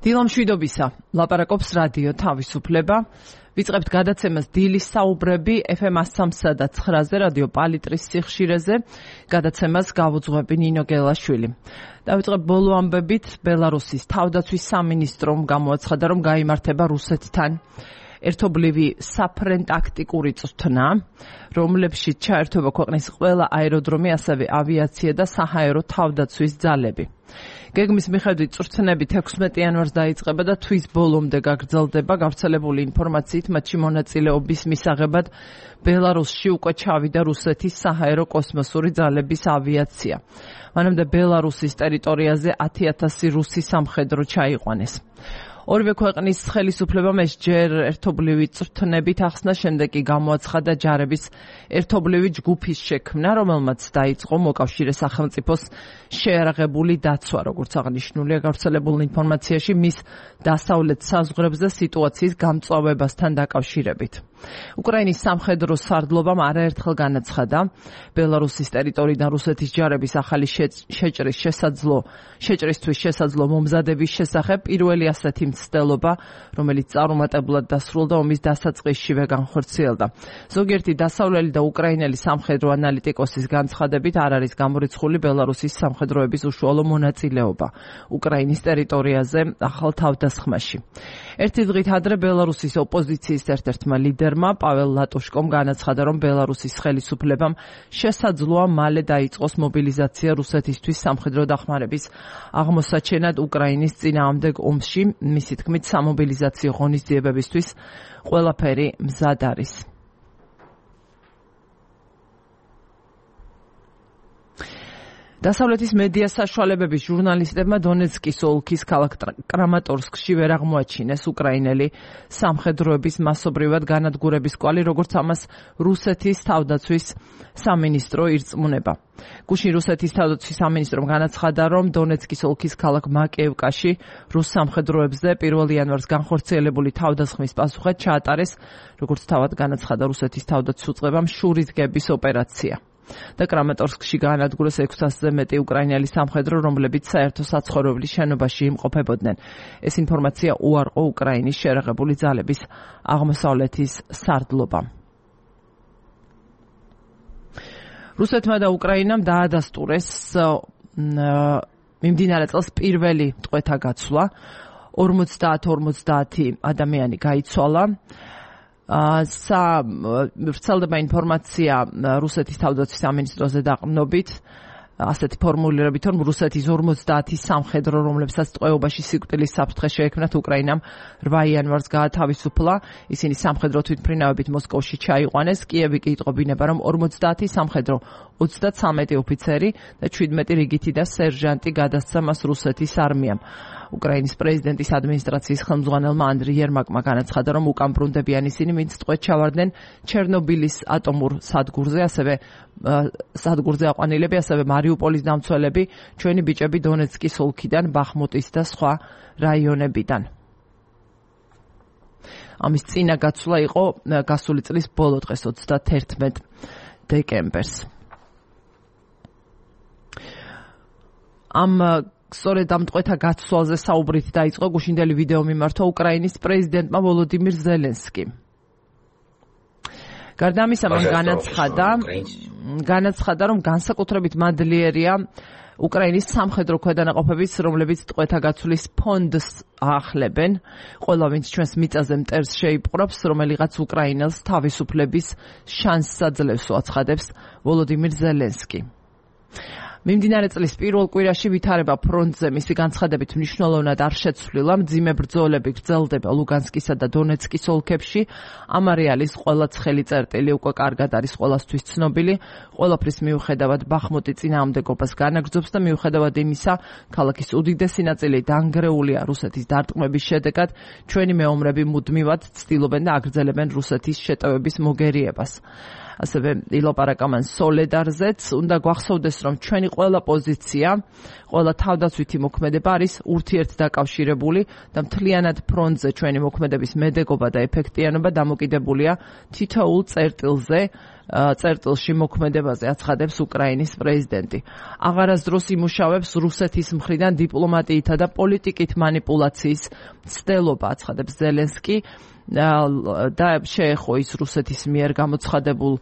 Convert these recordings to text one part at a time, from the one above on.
დილამშვიდობისა, ლაპარაკობს რადიო თავისუფლება. ვიწყებთ გადაცემას დილის საუბრები FM 103 და 9-ზე რადიო პალიტრის სიხშირეზე. გადაცემას გავუძღვები ნინო გელაშვილი. დავიწყებ ბოლო ამბებით. ბელარუსის თავდაცვის სამინისტრომ გამოაცხადა, რომ გაიმართება რუსეთთან ერთობლივი საფრენ-ტაქტიკური წვრთნა, რომლებშიც ჩაერთვება ქვეყნის ყველა აეროდრომი, ასევე ავიაცია და საჰაერო თავდაცვის ძალები. გეგმის მიხედვით წვრთნები 16 იანვარს დაიწყება და თვის ბოლომდე გაგრძელდება. გავრცელებული ინფორმაციით მათში მონაწილეობის მისაღებად ბელარუსში უკვე ჩავიდა რუსეთის საჰაერო კოსმოსური ძალების ავიაცია. მანამდე ბელარუსის ტერიტორიაზე 10,000 რუსი სამხედრო ჩაიყვანეს. ორივე ქვეყნის ხელისუფლებამ ეს ჯერ ერთობლივი წვრთნებით ახსნა, შემდეგ კი გამოაცხადა ჯარების ერთობლივი ჯგუფის შექმნა, რომელმაც დაიწყო მოკავშირე სახელმწიფოს შეიარაღებული დაცვა, როგორც აღნიშნულია გავრცელებულ ინფორმაციაში, მის დასავლეთ საზღვრებზე სიტუაციის გამწვავებასთან დაკავშირებით. უკრაინის სამხედრო სარდლობამ არაერთხელ განაცხადა, ბელარუსის ტერიტორიიდან რუსეთის ჯარების ახალი შეჭრისთვის შესაძლო მომზადების შესახებ პირველი ასეთი მცდელობა, რომელიც წარუმატებლად დასრულდა ომის დასაწყისშივე განხორციელდა. ზოგიერთი დასავლელი და უკრაინელი სამხედრო ანალიტიკოსის განცხადებით არ არის გამორიცხული ბელარუსის სამხედროების უშუალო მონაწილეობა უკრაინის ტერიტორიაზე ახალ თავდასხმაში. ერთი დღით ადრე ბელარუსის ოპოზიციის ერთ-ერთმა ლიდერმა პაվել ლატუშკომ განაცხადა, რომ ბელარუსის ხელისუფლებამ შესაძლოა მალე დაიწყოს მობილიზაცია რუსეთისთვის სამხედრო დახმარების აღმოსაჩენად უკრაინის წინააღმდეგ ომში. მისი თქმით, სამობილიზაციო ღონისძიებებისთვის ყველაფერი მზად არის. დასავლეთის მედია საშუალებების ჟურნალისტებმა დონეცკის ოლქის ქალაქ კრამატორსკში ვერ აღმოაჩინეს უკრაინელი სამხედროების მასობრივად განადგურების კვალი, როგორც ამას რუსეთის თავდაცვის სამინისტრო ირწმუნება. გუშინ რუსეთის თავდაცვის სამინისტრომ განაცხადა, რომ დონეცკის ოლქის ქალაქ მაკეევკაში რუს სამხედროებზე 1 იანვარს განხორციელებული თავდასხმის პასუხად ჩაატარეს, როგორც თავად განაცხადა რუსეთის თავდაცვის უწყებამ, შურისგების ოპერაცია. და კრამატორსკში გაანადგურეს 600-ზე მეტი უკრაინელი სამხედრო, რომლებიც საერთო საცხოვრებლის შენობაში იმყოფებოდნენ. ეს ინფორმაცია უარყო უკრაინის შეიარაღებული ძალების აღმოსავლეთის სარდლობამ. რუსეთმა და უკრაინამ დაადასტურეს მიმდინარე წელს პირველი ტყვეთა გაცვლა. 50 ადამიანი გაიცვალა. ვრცელდება ინფორმაცია რუსეთის თავდაცვის სამინისტროზე დაყრდნობით, ასეთი ფორმულირებით, რომ რუსეთის 50 სამხედრო, რომლებსაც ტყვეობაში სიკვდილის საფრთხე შეექმნათ, უკრაინამ 8 იანვარს გაათავისუფლა. ისინი სამხედრო თვითმფრინავებით მოსკოვში ჩაიყვანეს. კიევი კი იტყობინება, რომ 50 სამხედრო, 33 ოფიცერი და 17 რიგითი და სერჟანტი გადასცა მას რუსეთის არმიამ. უკრაინის პრეზიდენტის ადმინისტრაციის ხელმძღვანელმა ანდრი იერმაკმა განაცხადა, რომ უკან ბრუნდებიან ისინი, ვინც ტყვედ ჩავარდნენ ჩერნობილის ატომურ სადგურზე, სადგურზე აყვანილები, ასევე მარიუპოლის დამცველები, ჩვენი ბიჭები დონეცკის ოლქიდან, ბახმუტის და სხვა რაიონებიდან. ამის წინა გაცვლა იყო გასული წლის ბოლო დღეს 31 დეკემბერს. სწორედ ამ ტყვეთა გაცვალზე საუბრით დაიწყო გუშინდელი ვიდეო მიმართვა უკრაინის პრეზიდენტმა ვოლოდიმირ ზელენსკიმ. გარდა ამისა, მან განაცხადა, რომ განსაკუთრებით მადლიერია უკრაინის სამხედრო ქვედანაყოფების, რომლებიც ტყვეთა გაცვლის ფონდს აახლებენ. ყველა, ვინც ჩვენს მიწაზე მტერს შეიპყრობს, რომელიღაც უკრაინელს თავისუფლების შანსს აძლევს, აცხადებს ვოლოდიმირ ზელენსკი. მიმდინარე წლის პირველ კვირაში ვითარება ფრონტზე მისი განცხადებით მნიშვნელოვნად არ შეცვლილა. მძიმე ბრძოლები გრძელდება ლუგანსკისა და დონეცკის ოლქებში. ამ არეალის ყველა ცხელი წერტილი უკვე კარგად არის ყველასთვის ცნობილი. ყველაფრის მიუხედავად ბახმუტი წინააღმდეგობას განაგრძობს და მიუხედავად იმისა, ქალაქის უდიდესი ნაწილი დანგრეულია რუსეთის დარტყმების შედეგად. ჩვენი მეომრები მუდმივად ცდილობენ და აგრძელებენ რუსეთის შეტევების მოგერიებას. ასევე ილაპარაკამან სოლედარზეც. უნდა გვახსოვდეს, რომ ჩვენი ყველა პოზიცია, ყველა თავდაცვითი მოქმედება არის ურთიერთდაკავშირებული და მთლიანად ფრონტზე ჩვენი მოქმედების მედეგობა და ეფექტიანობა დამოკიდებულია თითოეულ წერტილზე, წერტილში მოქმედებაზე აცხადებს უკრაინის პრეზიდენტი. აღარასდროს იმუშავებს რუსეთის მხრიდან დიპლომატიითა და პოლიტიკით манипуляციის ცდელობა, აცხადებს ზელენსკი. და შეეხო ის რუსეთის მიერ გამოცხადებულ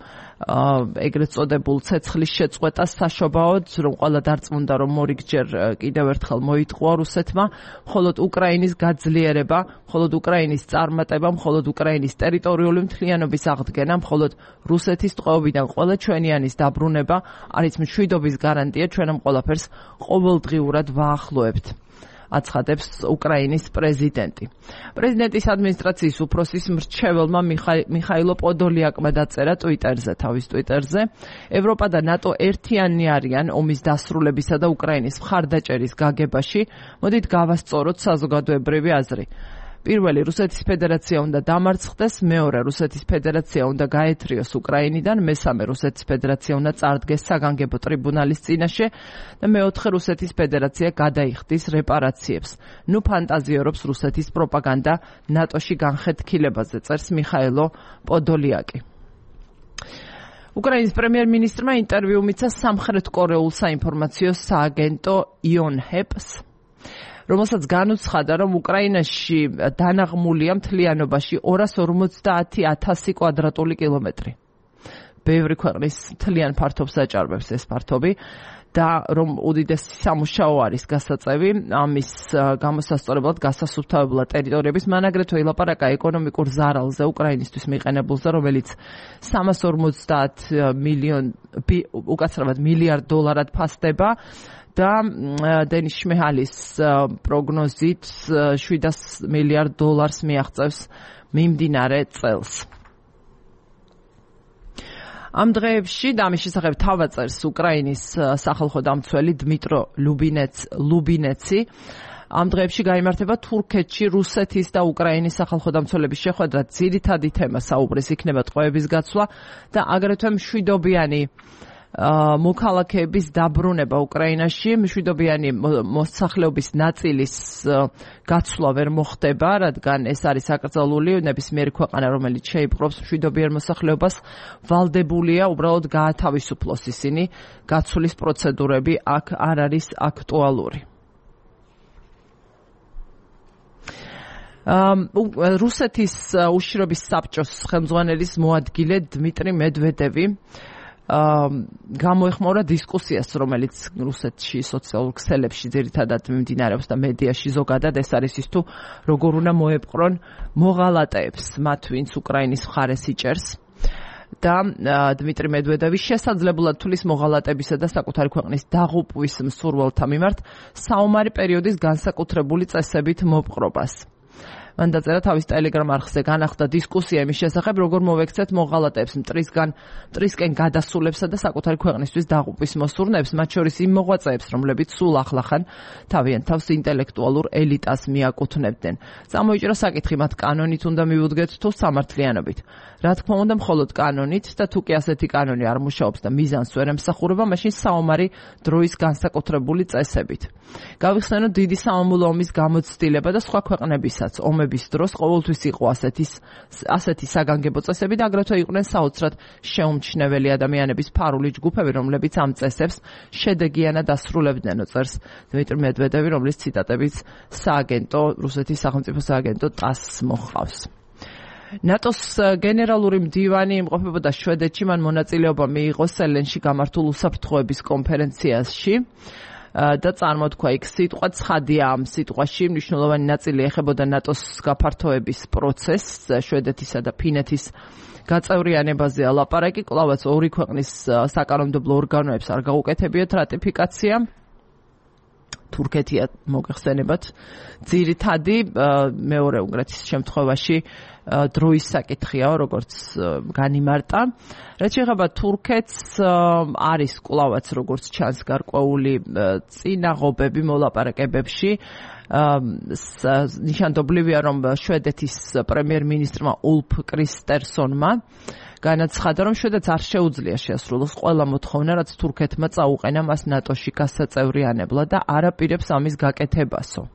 ეგრეთ წოდებულ ცეცხლის შეწყვეტას საშობაოდ, რომ ყველა დარწმუნდა, რომ მორიგჯერ კიდევ ერთხელ მოიტყვა რუსეთმა, მხოლოდ უკრაინის გაძლიერება, მხოლოდ უკრაინის წარმატება, მხოლოდ უკრაინის ტერიტორიული მთლიანობის აღდგენა, მხოლოდ რუსეთის ტყვეობიდან ყველა ჩვენიანის დაბრუნება არის მშვიდობის გარანტია, ჩვენ ამ ყველაფერს ყოველდღიურად ვაახლოებთ. აცხადებს უკრაინის პრეზიდენტი. პრეზიდენტის ადმინისტრაციის უფროსის მრჩეველმა მიხაილო პოდოლიაკმა დაწერა თავის ტვიტერზე, ევროპა და ნატო ერთიანი არიან ომის დასრულებისა და უკრაინის მხარდაჭერის გაგებაში, მოდით გავასწოროთ საზოგადოებრივი აზრი. პირველი, რუსეთის ფედერაცია უნდა დამარცხდეს, მეორე, რუსეთის ფედერაცია უნდა გაეთრიოს უკრაინიდან, მესამე, რუსეთის ფედერაცია უნდა წარდგეს საგანგებო ტრიბუნალის წინაშე და მეოთხე, რუსეთის ფედერაცია გადაიხდის რეპარაციებს. ნუ ფანტაზიორობს რუსეთის პროპაგანდა ნატოში განხეთქილებაზე, წერს მიხაილო პოდოლიაკი. უკრაინის პრემიერ-მინისტრმა ინტერვიუ მიცა სამხრეთ კორეულ საინფორმაციო სააგენტო იონჰეპს, რომელსაც განუცხადა, რომ უკრაინაში დანაღმულია მთლიანობაში 250,000 კვადრატული კილომეტრი. ბევრი ქვეყნის მთლიან ფართობს აჭარბებს ეს ფართობი და რომ უდიდესი სამუშაო არის გასაწევი ამის გამოსასწორებლად გასასუფთავებლად ტერიტორიების, მან აგრეთვე ილაპარაკა ეკონომიკურ ზარალზე უკრაინისთვის მიყენებულზე, რომელიც 350 მილიარდ დოლარად ფასდება და დენის შმეჰალის პროგნოზით 700 მილიარდ დოლარს მიაღწევს მიმდინარე წელს. ამ დღეებში და ამის შესახებ თავაწერს უკრაინის სახალხო დამცველი დმიტრო ლუბინეცი. ამ დღეებში გაიმართება თურქეთში რუსეთის და უკრაინის სახალხო დამცველების შეხვედრა. ძირითადი თემა საუბრის იქნება ტყვეების გაცვლა და აგრეთვე მშვიდობიანი მოქალაქეების დაბრუნება უკრაინაში. მშვიდობიანი მოსახლეობის ნაწილის გაცვლა ვერ მოხდება, რადგან ეს არის აკრძალული, ნებისმიერი ქვეყანა, რომელიც შეიპყრობს მშვიდობიან მოსახლეობას, ვალდებულია უბრალოდ გაათავისუფლოს ისინი. გაცვლის პროცედურები აქ არ არის აქტუალური. რუსეთის უშიშრობის საბჭოს ხელმძღვანელის მოადგილე დმიტრი მედვედევი გამოეხმაურა დისკუსიას, რომელიც რუსეთში სოციალურ ქსელებში ძირითადად მიმდინარეობს და მედიაში ზოგადად, ეს არის ის თუ როგორ უნდა მოეპყრონ მოღალატეებს, მათ ვინც უკრაინის მხარეს იჭერს. და დმიტრი მედვედევი შესაძლებლად თulis მოღალატებისა და საკუთარი ქვეყნის დაღუპვის მსურველთა მიმართ საომარი პერიოდის განსაკუთრებული წესებით მოპყრობას. მან დაწერა თავის ტელეგრამ არხზე, განახლდა დისკუსია იმის შესახებ, როგორ მოვექცეთ მოღალატეებს მტრისკენ გადასულებსა და საკუთარი ქვეყნისთვის დაღუპვის მოსურნეებს, მათ შორის იმ მოღვაწეებს, რომლებიც სულ ახლახან თავიანთ თავს ინტელექტუალურ ელიტას მიაკუთვნებდნენ. წამოიჭრა საკითხი, მათ კანონით უნდა მივუდგეთ თუ სამართლიანობით. რა თქმა უნდა, მხოლოდ კანონით და თუ კი ასეთი კანონი არ მუშაობს და მიზანს ვერ ემსახურება, მაშინ საომარი დროის განსაკუთრებული წესებით. გავიხსენოთ დიდი სამამულო ომის გამოცდილება და სხვა ქვეყნებისაც ომების დროს ყოველთვის იყო ასეთი საგანგებო წესები და აგრეთვე იყვნენ საოცრად შეუმჩნეველი ადამიანების ფარული ჯგუფები, რომლებიც ამ წესებს შედეგიანად ასრულებდნენ, წერს დმიტრი მედვედევი, რომლის ციტატებიც რუსეთის სახელმწიფო სააგენტო TASS მოჰყავს. ნატოს გენერალური მდივანი იმყოფებოდა შვედეთში, მან მონაწილეობა მიიღო სელენში გამართულ უსაფრთხოების კონფერენციაში და წარმოთქვა იქ სიტყვა ცხადია. ამ სიტყვაში მნიშვნელოვანი ნაწილი ეხებოდა ნატოს გაფართოების პროცესს, შვედეთისა და ფინეთის გაწევრიანებაზე ალაპარაკი. კვლავაც ორი ქვეყნის საკანონმდებლო ორგანოებს არ გაუკეთებიათ რატიფიკაცია. თურქეთია მოგეხსენებათ ძირითადი, მეორე უნგრეთის შემთხვევაში დროის საკითხიაო, როგორც განიმარტა. რაც შეეხება თურქეთს, არის კვლავაც როგორც ჩანს გარკვეული წინაღობები მოლაპარაკებებში. ნიშანდობლივია, რომ შვედეთის პრემიერ-მინისტრმა ულფ კრისტერსონმა განაცხადა, რომ შვედეთს არ შეუძლია შეასრულოს ყველა მოთხოვნა, რაც თურქეთმა წაუყენა მას ნატოში გასაწევრიანებლად და არ აპირებს ამის გაკეთებასო.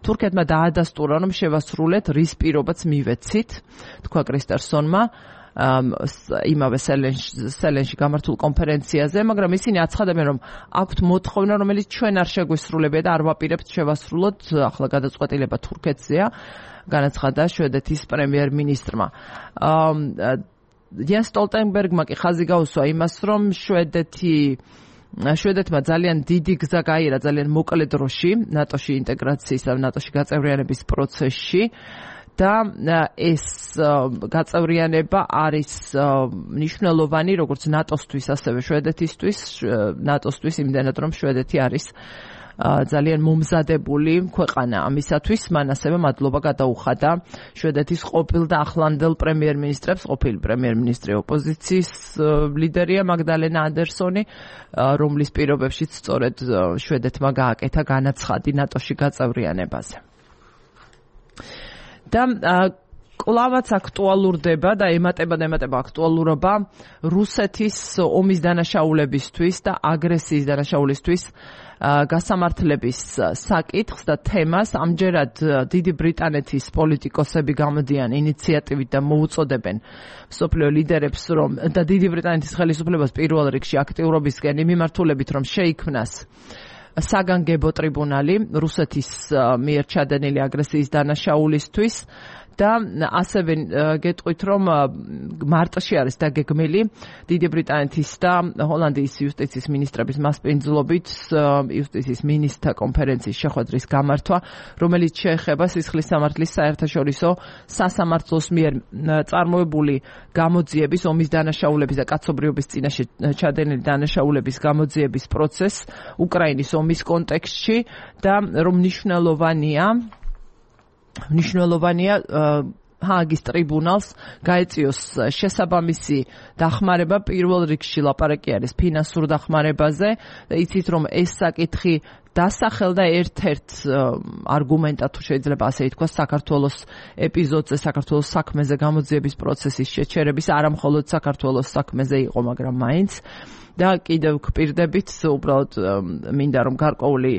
თურქეთმა დაადასტურა, რომ შევასრულეთ რის პირობაც მივეცით, თქვა კრისტერსონმა. იმავე სელენში გამართულ კონფერენციაზე, მაგრამ ისინი აცხადებენ, რომ აქვთ მოთხოვნა, რომელიც ჩვენ არ შეგვისრულებია და არ ვაპირებთ შევასრულოთ, ახლა გადაწყვეტილება თურქეთზეა, განაცხადა შვედეთის პრემიერ-მინისტრმა. Jens Stoltenberg-მა კი ხაზი გაუსვა იმას, რომ შვედეთმა ძალიან დიდი გზა გაიარა ძალიან მოკლე დროში ნატოში ინტეგრაციის და ნატოში გაწევრიანების პროცესში და ეს გაწევრიანება არის მნიშვნელოვანი როგორც ნატოსთვის, ასევე შვედეთისთვის, ნატოსთვის იმდენად რომ შვედეთი არის ძალიან მომზადებული ქვეყანა ამისათვის, მან ასევე მადლობა გადაუხადა შვედეთის ყოფილ და ახლანდელ პრემიერ-მინისტრებს, ყოფილი პრემიერ-მინისტრი ოპოზიციის ლიდერია მაგდალენა ანდერსონი, რომლის პირობებშიც სწორედ შვედეთმა გააკეთა განაცხადი ნატოში გაწევრიანებაზე. და კლავაც აქტუალურდება და ემატება აქტუალურობა რუსეთის ომის დანაშაულებისთვის და აგრესიის დანაშაულისთვის გასამართლების საკითხს და თემას. ამჯერად დიდი ბრიტანეთის პოლიტიკოსები გამოდიან ინიციატივით და მოუწოდებენ მსოფლიო ლიდერებს, რომ და დიდი ბრიტანეთის ხელისუფლებას პირველ რიგში აქტიურობისკენ მიმართულებით, რომ შეიქმნას საგანგებო ტრიბუნალი რუსეთის მიერ ჩადენილი აგრესიის დანაშაულისთვის და ასევე გეტყვით, რომ მარტში არის დაგეგმილი დიდი ბრიტანეთის და ჰოლანდიის იუსტიციის მინისტრების მასპინძლობით იუსტიციის მინისტრთა კონფერენციის შეხვედრის გამართვა, რომელიც შეეხება სისხლის სამართლის საერთაშორისო სასამართლოს მიერ წარმოებული გამოძიების, ომის დანაშაულების და კაცობრიობის წინაშე ჩადენილი დანაშაულების გამოძიების პროცესს უკრაინის ომის კონტექსტში და რომ მნიშვნელოვანია ჰააგის ტრიბუნალს გაეწიოს შესაბამისი დახმარება. პირველ რიგში ლაპარაკი არის ფინანსურ დახმარებაზე და იცით, რომ ეს საკითხი დასახელდა ერთ-ერთ არგუმენტად, თუ შეიძლება ასე ითქვას, საქართველოს ეპიზოდზე, საქართველოს საქმეზე გამოძიების პროცესის შეჩერების, არა მხოლოდ საქართველოს საქმეზე იყო, მაგრამ მაინც. და კიდევ გვპირდებით, უბრალოდ მინდა რომ გარკვეული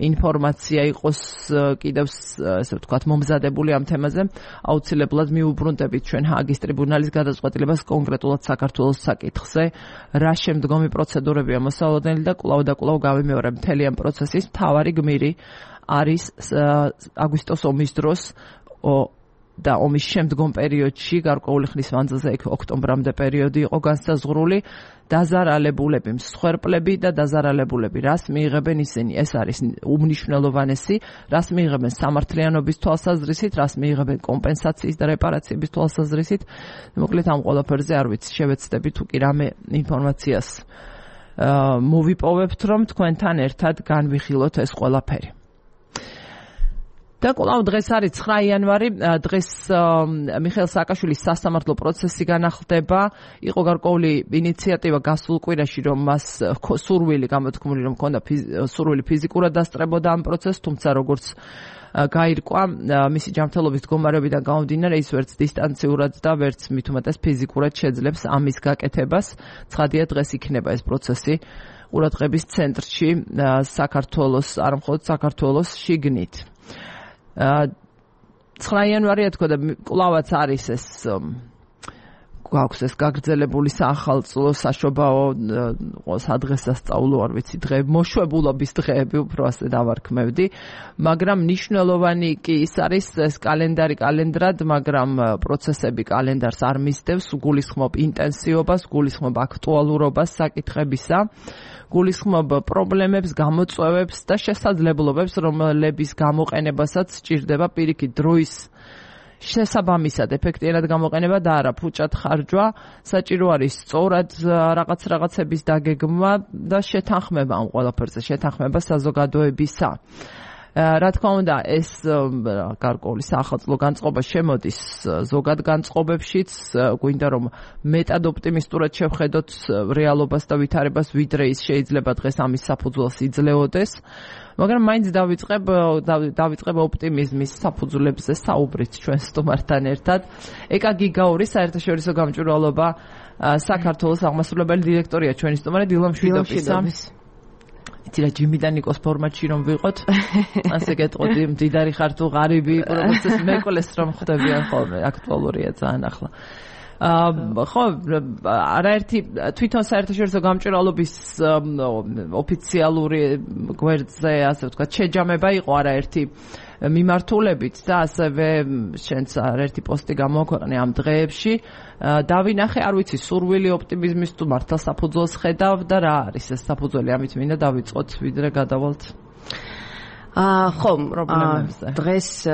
ინფორმაცია იყოს კიდევ ესე ვთქვათ მომზადებული ამ თემაზე, აუცილებლად მიუბრუნდებით ჩვენ ჰააგის ტრიბუნალის გადაწყვეტილებას კონკრეტულად საქართველოს საკითხზე, რა შემდგომი პროცედურებია მოსალოდნელი და კვლავ გავიმეორებ მთელი ამ პროცესის მთავარი გმირი არის აგვისტოს ომის დროს და ომის შემდგომ პერიოდში, გარკვეული ხნის მანძილზე, ოქტომბრამდე პერიოდი იყო განსაზღვრული, დაზარალებულები, მსხვერპლები და დაზარალებულები, რას მიიღებენ ისინი, ეს არის უმნიშვნელოვანესი, რას მიიღებენ სამართლიანობის თვალსაზრისით, რას მიიღებენ კომპენსაციის და რეპარაციების თვალსაზრისით. მოკლედ ამ ყველაფერზე არ ვიცი, შევეცდები თუ კი რამე ინფორმაციას მოვიპოვებთ, რომ თქვენთან ერთად განვიხილოთ ეს ყველაფერი. და კვლავ დღეს არის 9 იანვარი, დღეს მიხეილ სააკაშვილის სასამართლო პროცესი განახლდება. იყო გარკვეული ინიციატივა გასულ კვირაში, რომ მას სურვილი გამოთქმული, რომ ჰქონდა სურვილი ფიზიკურად დასწრებოდა ამ პროცესს, თუმცა როგორც გაირკვა მისი ჯანმრთელობის მდგომარეობიდან გამომდინარე, ის ვერც დისტანციურად და ვერც მით უმეტეს ფიზიკურად შეძლებს ამის გაკეთებას. ცხადია, დღეს იქნება ეს პროცესი ყურადღების ცენტრში საქართველოს, არა მხოლოდ საქართველოს შიგნით. 9 იანვარია თქო და კვლავაც არის ეს გვაქვს ეს გაგრძელებული საახალწლო საშობაო სადღესასწაულო არ ვიცი დღე მოშვებულობის დღეები უფრო ასე დავარქმევდი, მაგრამ მნიშვნელოვანი კი ის არის ეს კალენდრად, მაგრამ პროცესები კალენდარს არ მისდევს, გულისხმობ ინტენსივობას, გულისხმობ აქტუალურობას საკითხებისა, გულისხმობ პრობლემებს, გამოწვევებს და შესაძლებლობებს, რომლების გამოყენებასაც სჭირდება პირიქით დროის შესაბამისად ეფექტიანად გამოყენება და არა ფუჭად ხარჯვა. საჭირო არის სწორად რაღაცების დაგეგმვა და შეთანხმება ამ ყველაფერზე, შეთანხმება საზოგადოებისა. რა თქმა უნდა, ეს გარკვეული საახალწლო განწყობა შემოდის ზოგად განწყობებშიც, გვინდა რომ მეტად ოპტიმისტურად შევხედოთ რეალობას და ვითარებას, ვიდრე ის შეიძლება დღეს ამის საფუძველს იძლეოდეს. მაგრამ მაინც დავიწყებ ოპტიმიზმის საფუძვლებზე საუბრით ჩვენ სტუმართან ერთად. ეკა გიგაური საერთაშორისო გამჭვირვალობა საქართველოს აღმასრულებელი დირექტორია ჩვენი სტუმარი დილა მშვიდობისა. იცი რა ჯიმი და ნიკოს ფორმატში რომ ვიყოთ, ასე გეტყოდი, მდიდარი ხარ თუ ღარიბი, როგორც ეს მეკლეს რომ ხდებიან ხოლმე, აქტუალურია ძალიან ახლა. ხო, არაერთი თვითონ საერთაშორისო გამჭვირვალობის ოფიციალური გვერდზე, ასე ვთქვათ, შეჯამება იყო არაერთი მიმართულებით და ასევე შენც ერთი პოსტი გამოაქვეყნე ამ დღეებში. დავინახე, არ ვიცი, სურვილი ოპტიმიზმის თუ მართლა საფუძველს ხედავ და რა არის ეს საფუძველი, ამით მინდა დავიწყოთ, ვიდრე გადავალთ ხომ, პრობლემებზე. დღეს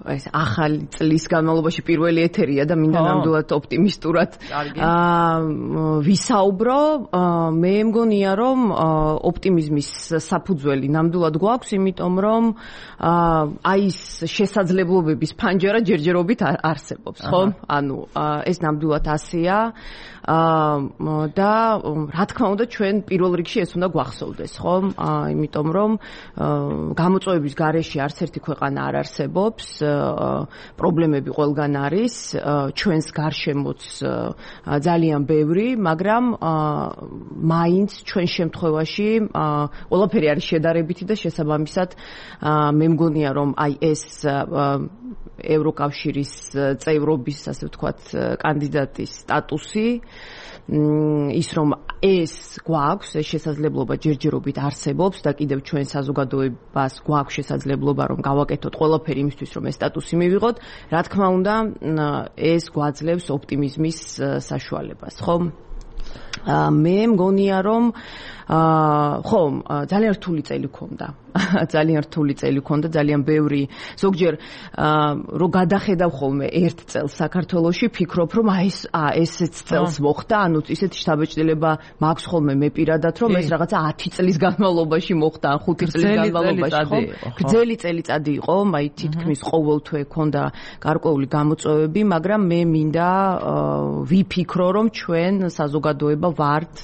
ეს ახალი წლის განმავლობაში პირველი ეთერია და მინდა ნამდვილად ოპტიმისტურად ვისაუბრო. მე მგონია, რომ ოპტიმიზმის საფუძველი ნამდვილად გვაქვს, იმიტომ რომ აი ეს შესაძლებლობების ფანჯარა ჯერჯერობით არსებობს, ხო? ანუ ეს ნამდვილად ასეა. და რა თქმა უნდა ჩვენ პირველ რიგში ეს უნდა გვახსოვდეს, ხო? იმიტომ რომ გამოწვევების გარეშე არც ერთი ქვეყანა არ არსებობს. პრობლემები ყველგან არის, ჩვენს გარშემოც ძალიან ბევრი, მაგრამ მაინც ჩვენ შემთხვევაში ყველაფერი არის შედარებითი და შესაბამისად მე მგონია, რომ აი ეს ევროკავშირის წევრობის, ასე ვთქვათ, კანდიდატის სტატუსი, ის რომ ეს გვაქვს, ეს შესაძლებლობა ჯერჯერობით არსებობს და კიდევ ჩვენ საზოგადოებას გვაქვს შესაძლებლობა რომ გავაკეთოთ ყველაფერი იმისთვის რომ ეს სტატუსი მივიღოთ, რა თქმა უნდა, ეს გვაძლევს ოპტიმიზმის საშუალებას, ხო? მე მგონია რომ ხო, ძალიან რთული წელი გქონდა. ძალიან რთული წელი გქონდა, ძალიან ბევრი. ზოგჯერ რო გადახედავ ხოლმე ერთ წელს საქართველოში, ფიქრობ რომ ესეც წელს მოხდა, ანუ ისეთი შთაბეჭდილება მაქვს ხოლმე მე პირადად, რომ ეს რაღაცა 10 წლის განმავლობაში მოხდა, 5 წლის განმავლობაში, ხო? გრძელი წელიწადი იყო, აი თითქმის ყოველთვე გქონდა გარკვეული გამოწვევები, მაგრამ მე მინდა ვიფიქრო, რომ ჩვენ საზოგადოება ვართ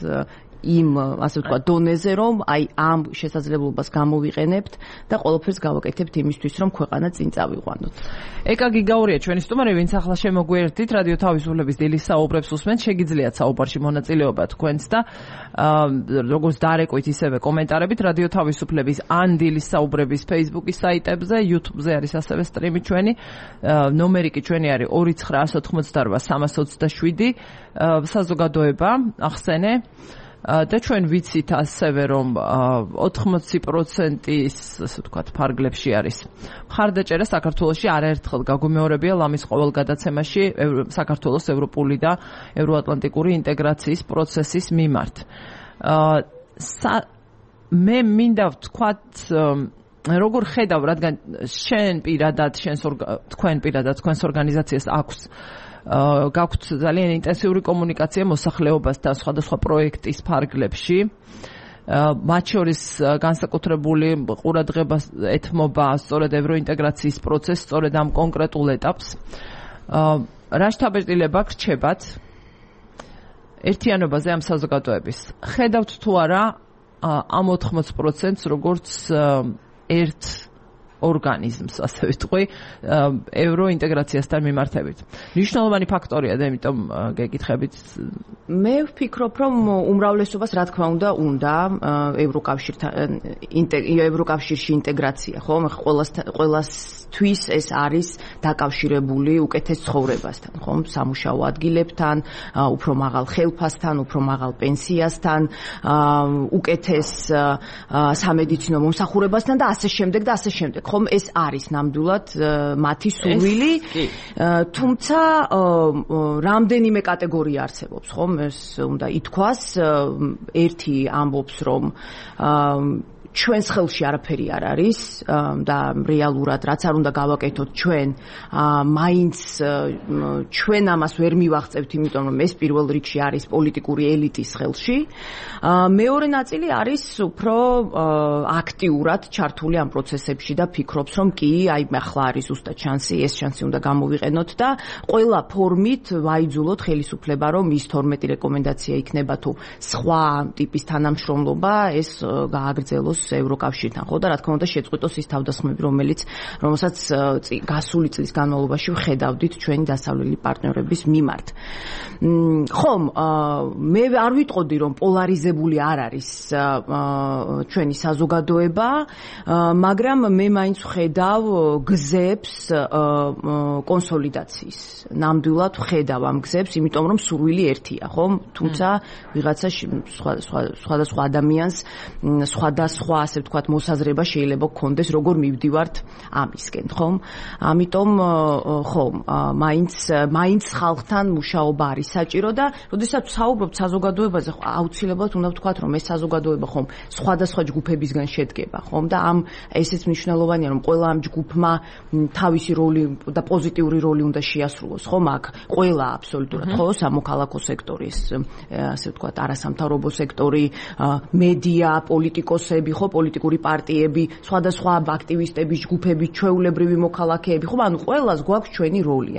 იმ, ასე ვთქვათ, დონეზე, რომ აი ამ შესაძლებლობას გამოვიყენებთ და ყველაფერს გავაკეთებთ იმისთვის, რომ ქვეყანა წინ წავიყვანოთ. ეკა გიგაურია ჩვენი სტუმარი, ვინც ახლა შემოგვიერთდით, რადიო თავისუფლების დილის საუბრებს უსმენთ, შეგიძლიათ საუბარში მონაწილეობა თქვენს და როგორც დარეკვით, ისევე კომენტარებით რადიო თავისუფლების ან დილის საუბრების Facebook-ის საიტებზე, YouTube-ზე არის ასევე სტრიმი ჩვენი, ნომერი კი ჩვენი არის 2988327 საზოგადოება ახსენე. და ჩვენ ვიცით ასევე რომ 80%-ის, ასე ვთქვათ, ფარგლებში არის მხარდაჭერა საქართველოში არაერთხელ გაგუმეორებია ლამის ყოველ გადაცემაში საქართველოს ევროპული და ევროატლანტიკური ინტეგრაციის პროცესის მიმართ. მე მინდა ვთქვათ, როგორ ხედავ, რადგან თქვენ პირადად თქვენს ორგანიზაციას აქვს გაქვთ ძალიან ინტენსიური კომუნიკაცია მოსახლეობასთან სხვადასხვა პროექტის ფარგლებში. მათ შორის განსაკუთრებული ყურადღება ეთმობა სწორედ ევროინტეგრაციის პროცესს, სწორედ ამ კონკრეტულ ეტაპს. რა შთაბეჭდილება გრჩებათ ერთიანობაზე ამ საზოგადოების? ხედავთ თუ არა ამ 80%-ს როგორც ერთ ორგანიზმს, ასე ვიტყვი, ევროინტეგრაციასთან მიმართებით. მნიშვნელოვანი ფაქტორია და იმიტომ გეკითხებით. მე ვფიქრობ, რომ უმრავლესობას რა თქმა უნდა ევროკავშირში ინტეგრაცია, ხო? ყველასთვის ეს არის დაკავშირებული უკეთეს ცხოვრებასთან, ხო? სამუშაო ადგილებთან, უფრო მაღალ ხელფასთან, უფრო მაღალ პენსიასთან, უკეთეს სამედიცინო მომსახურებასთან და ასე შემდეგ და ასე შემდეგ. ხომ ეს არის ნამდვილად მათი სურვილი, თუმცა რამდენიმე კატეგორია არსებობს, ხომ? ეს უნდა ითქვას, ერთი ამბობს, რომ ჩვენს ხელში არაფერი არ არის და რეალურად რაც არ უნდა გავაკეთოთ ჩვენ, მაინც ჩვენ ამას ვერ მივაღწევთ, იმიტომ რომ ეს პირველ რიგში არის პოლიტიკური ელიტის ხელში. მეორე ნაწილი არის უფრო აქტიურად ჩართული ამ პროცესებში და ფიქრობს, რომ კი, აი ახლა არის ზუსტად შანსი, ეს შანსი უნდა გამოვიყენოთ და ყველა ფორმით ვაიძულოთ ხელისუფლება, რომ ის 12 რეკომენდაცია იქნება თუ სხვა ტიპის თანამშრომლობა ეს გააგრძელოს იყოს ევროკავშირთან, ხო და რა თქმა უნდა შეწყვიტოს ის თავდასხმები, რომელსაც გასული წლის განმავლობაში ვხედავდით ჩვენი დასავლელი პარტნიორების მიმართ. ხომ, მე არ ვიტყოდი, რომ პოლარიზებული არ არის ჩვენი საზოგადოება, მაგრამ მე მაინც ვხედავ გზებს კონსოლიდაციის. ნამდვილად ვხედავ ამ გზებს, იმიტომ რომ სურვილი ერთია, ხომ? თუმცა ვიღაცა სხვადასხვა ადამიანს სხვადასხვა, ასე ვთქვათ, მოსაზრება შეიძლება გქონდეს, როგორ მივდივართ ამისკენ, ხომ? ამიტომ ხომ, მაინც ხალხთან მუშაობა არის საჭირო და როდესაც ვსაუბრობთ საზოგადოებაზე, აუცილებლად უნდა ვთქვათ, რომ ეს საზოგადოება ხომ სხვადასხვა ჯგუფებისგან შედგება, ხომ? და ესეც მნიშვნელოვანია, რომ ყველა ამ ჯგუფმა თავისი როლი და პოზიტიური როლი უნდა შეასრულოს, ხომ? აქ ყველა აბსოლუტურად, ხო, სამოქალაქო სექტორის, ასე ვთქვათ, არასამთავრობო სექტორი, მედია, პოლიტიკოსები, ხო, პოლიტიკური პარტიები, სხვადასხვა აქტივისტები, ჯგუფები, ჩვეულებრივი მოქალაქეები, ხო, ანუ ყველას გვაქვს ჩვენი როლი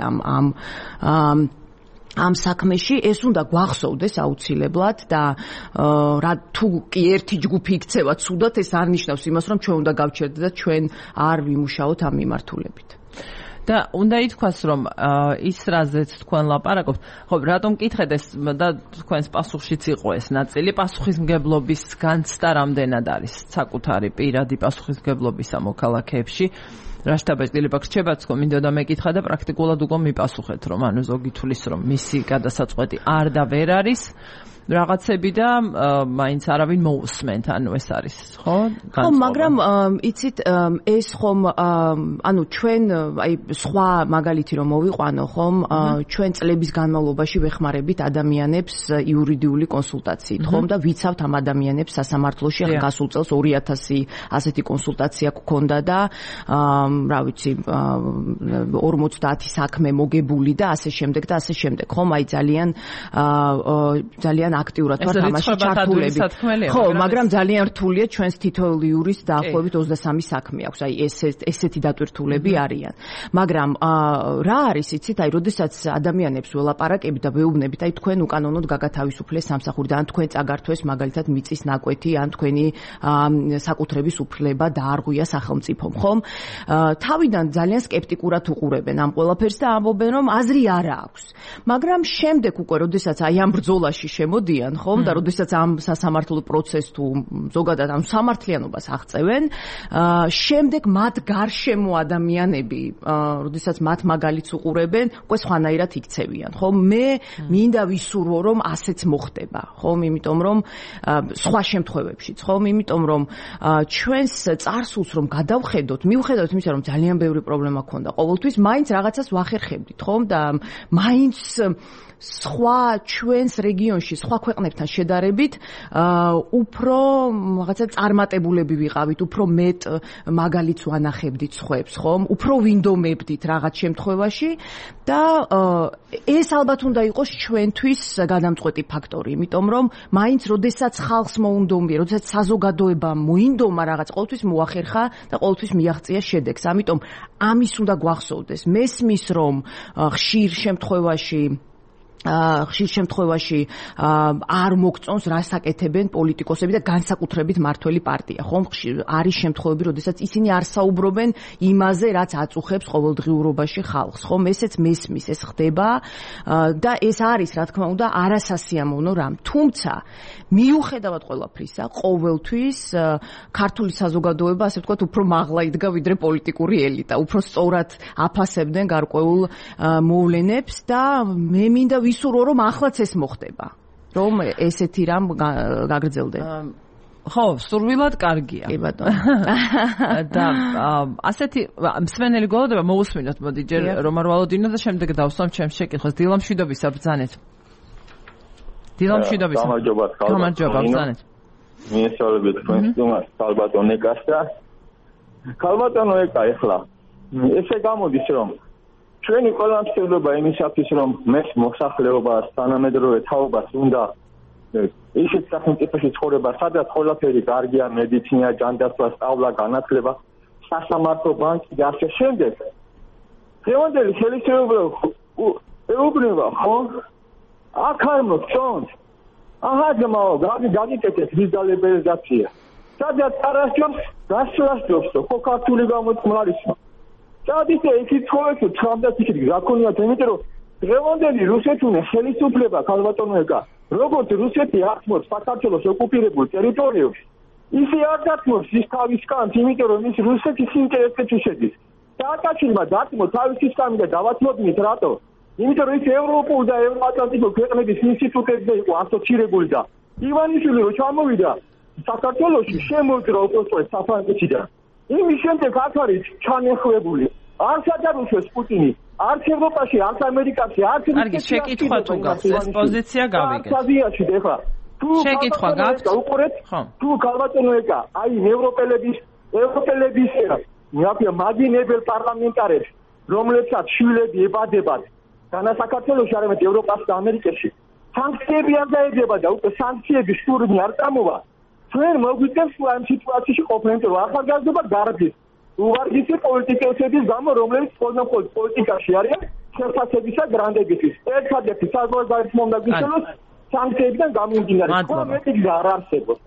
ამ საქმეში. ეს უნდა გვახსოვდეს აუცილებლად და თუ კი ერთი ჯგუფი იქცევა ცუდად, ეს არ ნიშნავს იმას, რომ ჩვენ უნდა გავჩერდეთ და ჩვენ არ ვიმუშაოთ ამ მიმართულებით. და უნდა ითქვას, რომ ის რაზეც თქვენ ლაპარაკობთ, ხო, რატომ მკითხეთ ეს და თქვენს პასუხშიც იყო ეს ნაწილი, პასუხისმგებლობის განცდა რამდენად არის საკუთარი პირადი პასუხისმგებლობის ამოქალაქეებში. რა შტაბ-ეტილება გრჩებათ, თქო, მინდოდა მეკითხა და პრაქტიკულად უკვე მიპასუხეთ, რომ ანუ ზოგი თulis, რომ მისი გადასაწყვეტი არ და ვერ არის რაღაცები და მაინც არავინ მოусმენთ, ანუ ეს არის, ხო? ხო, მაგრამ იცით, ეს ხომ, ანუ ჩვენ, აი, სხვა მაგალითი რომ მოვიყვანო, ხომ, ჩვენ წლების განმავლობაში ვეხმარებით ადამიანებს იურიდიული კონსულტაციით, ხომ და ვიცავთ ამ ადამიანებს სასამართლოში, ახლა გასულ წელს 2000 ასეთი კონსულტაცია გქონდა და რა ვიცი, 50 საქმე მოგებული და ასე შემდეგ და ასე შემდეგ, ხომ, აი ძალიან აქტიურად ვართ ამაში ჩართულები. ხო, მაგრამ ძალიან რთულია ჩვენს თითოეულ იურისტს დაახლოებით 23 საქმე აქვს. აი ესეთი დატვირთულები არიან. მაგრამ რა არის, იცით, აი როდესაც ადამიანებს ველაპარაკებით და ვეუბნებით, აი თქვენ უკანონოდ გაგათავისუფლეს სამსახურიდან, ან თქვენ წაგართვეს მაგალითად მიწის ნაკვეთი, ან თქვენი საკუთრების უფლება დაარღვია სახელმწიფომ, ხომ? თავიდან ძალიან სკეპტიკურად უყურებენ ამ ყველაფერს და ამბობენ, რომ აზრი არ აქვს. მაგრამ შემდეგ უკვე როდესაც აი ამ ბრძოლაში შემოდიან, ხომ, და როდესაც ამ სასამართლო პროცესს თუ ზოგადად ამ სამართლიანობას აღწევენ, შემდეგ მათ გარშემო ადამიანები, როდესაც მათ მაგალითს უყურებენ, უკვე სხვანაირად იქცევიან, ხომ? მე მინდა ვისურვო, რომ ასეც მოხდება, ხომ? იმიტომ რომ სხვა შემთხვევებშიც, ხომ? იმიტომ რომ ჩვენს წარსულს რომ გადავხედოთ, მივხედავთ იმისა, რომ ძალიან ბევრი პრობლემა ქონდა ყოველთვის, მაინც რაღაცას ვახერხებდით, ხომ? და მაინც სხვა ჩვენს რეგიონში, სხვა ქვეყნებთან შედარებით, უფრო რაღაცა წარმატებულები ვიყავით, უფრო მეტ მაგალითს ვანახებდით სხვებს, ხომ? უფრო ვინდომებდით რაღაც შემთხვევაში და ეს ალბათ უნდა იყოს ჩვენთვის გადამწყვეტი ფაქტორი, იმიტომ რომ მაინც როდესაც ხალხს მოუნდომია, როდესაც საზოგადოება მოინდომა რაღაც, ყოველთვის მოახერხა და ყოველთვის მიაღწია შედეგს. ამიტომ ამის უნდა გვახსოვდეს. მესმის რომ ხშირ შემთხვევაში არ მოგწონს რას აკეთებენ პოლიტიკოსები და განსაკუთრებით მართველი პარტია, ხომ? არის შემთხვევები, როდესაც ისინი არ საუბრობენ იმაზე, რაც აწუხებს ყოველდღიურობაში ხალხს, ხომ? ესეც მესმის, ეს ხდება და ეს არის, რა თქმა უნდა, არასასიამოვნო რამ. თუმცა მიუხედავად ყველაფრისა, ყოველთვის ქართული საზოგადოება, ასე ვთქვათ, უფრო მაღლა იდგა ვიდრე პოლიტიკური ელიტა, უფრო სწორად აფასებდნენ გარკვეულ მოვლენებს და მე მინდა ვისურვო, რომ ახლაც ეს მოხდება, რომ ესეთი რამ გაგრძელდება. ხო, სურვილად კარგია. კი ბატონო. და ასეთი მსმენელი გველოდება მოусმინოთ, მოდი ჯერ რომ არ ვალოდინო და შემდეგ დავსვამ ჩემს შეკითხვას. დილამშვიდობისა ბრძანეთ. დილამშვიდობისა. გამარჯობა, ბრძანეთ. მიესალმებით თქვენს სტუმარს, ქალბატონ ეკას და ქალბატონო ეკა, ეხლა ესე გამოდის, რომ ჩვენი ყველა მცდელობა იმისათვის, რომ მე მოსახლეობას, თანამედროვე თაობას უნდა ისეთ სახელმწიფოში ცხოვრება, სადაც ყველაფერი კარგია, მედიცინა, ჯანდაცვა, სწავლა, განათლება, სასამართლო, ბანკი და ასე შემდეგ. დღევანდელი ხელისუფლება ხო? აქ არ მოგწონს. აჰა, ძმაო, გაგიკეთეთ ლეგალიზაცია. სადაც არასჯობს გასვლას ჯობს ხო ქართული გამოწყმარისმა სადაც ისიც ხოლმე ცხადად ისეთი გაქონიათ იმიტომ რომ დღევანდელი რუსეთული ხელისუფლება ქალბატონოეკა როგორც რუსეთი ართმობს საქართველოს ოკუპირებულ ტერიტორიებში ისე არ დათმობს ის თავის კანს იმიტომ რომ ის რუსეთის ინტერესებში შედის სააკაშვილმა დათმო თავის კანი და დავათმობინეთ რატო იმიტომ რომ ის ევროპულ და ევროატლანტიკურ ქვეყნების ინსტიტუტებზე იყო ასოცირებული და ივანიშვილი რო ჩამოვიდა საქართველოში შემოძრა უპროტესტ საფრანგეთიდან იმის შემდეგ აქ არის ჩანეხვებული არც ადარუშვეს პუტინი არც ევროპაში არც ამერიკაში არც კარგი შეკითხვა თუ გაქვს ეს პოზიცია გავიგეთ აზიაში ეხლა შეკითხვა გაქვს უყურეთ თუ ქალბატონოეკა აი ევროპელების მეაფია მაგინებელ პარლამენტარებს რომლებსაც შვილები ებადებათ განა საქართველოში არამედ ევროპასა და ამერიკაში სანქციები არ დაედება და უკვე სანქციების შურნი არ წამოვა ჩვენ მოგვიწევს ამ სიტუაციაში ყოფნა იმიტომ რომ ახალგაზრდობა გარბის უვარგისი პოლიტიკოსების გამო რომლებიც მხოლოდ პოლიტიკაში არიან შეფასებისა გრანდებისთვის ერთადერთი საზღვარგარეთ მომდაგიშელოს სანქციებიდან გამომდინარე ხო მეტი არ არსებობს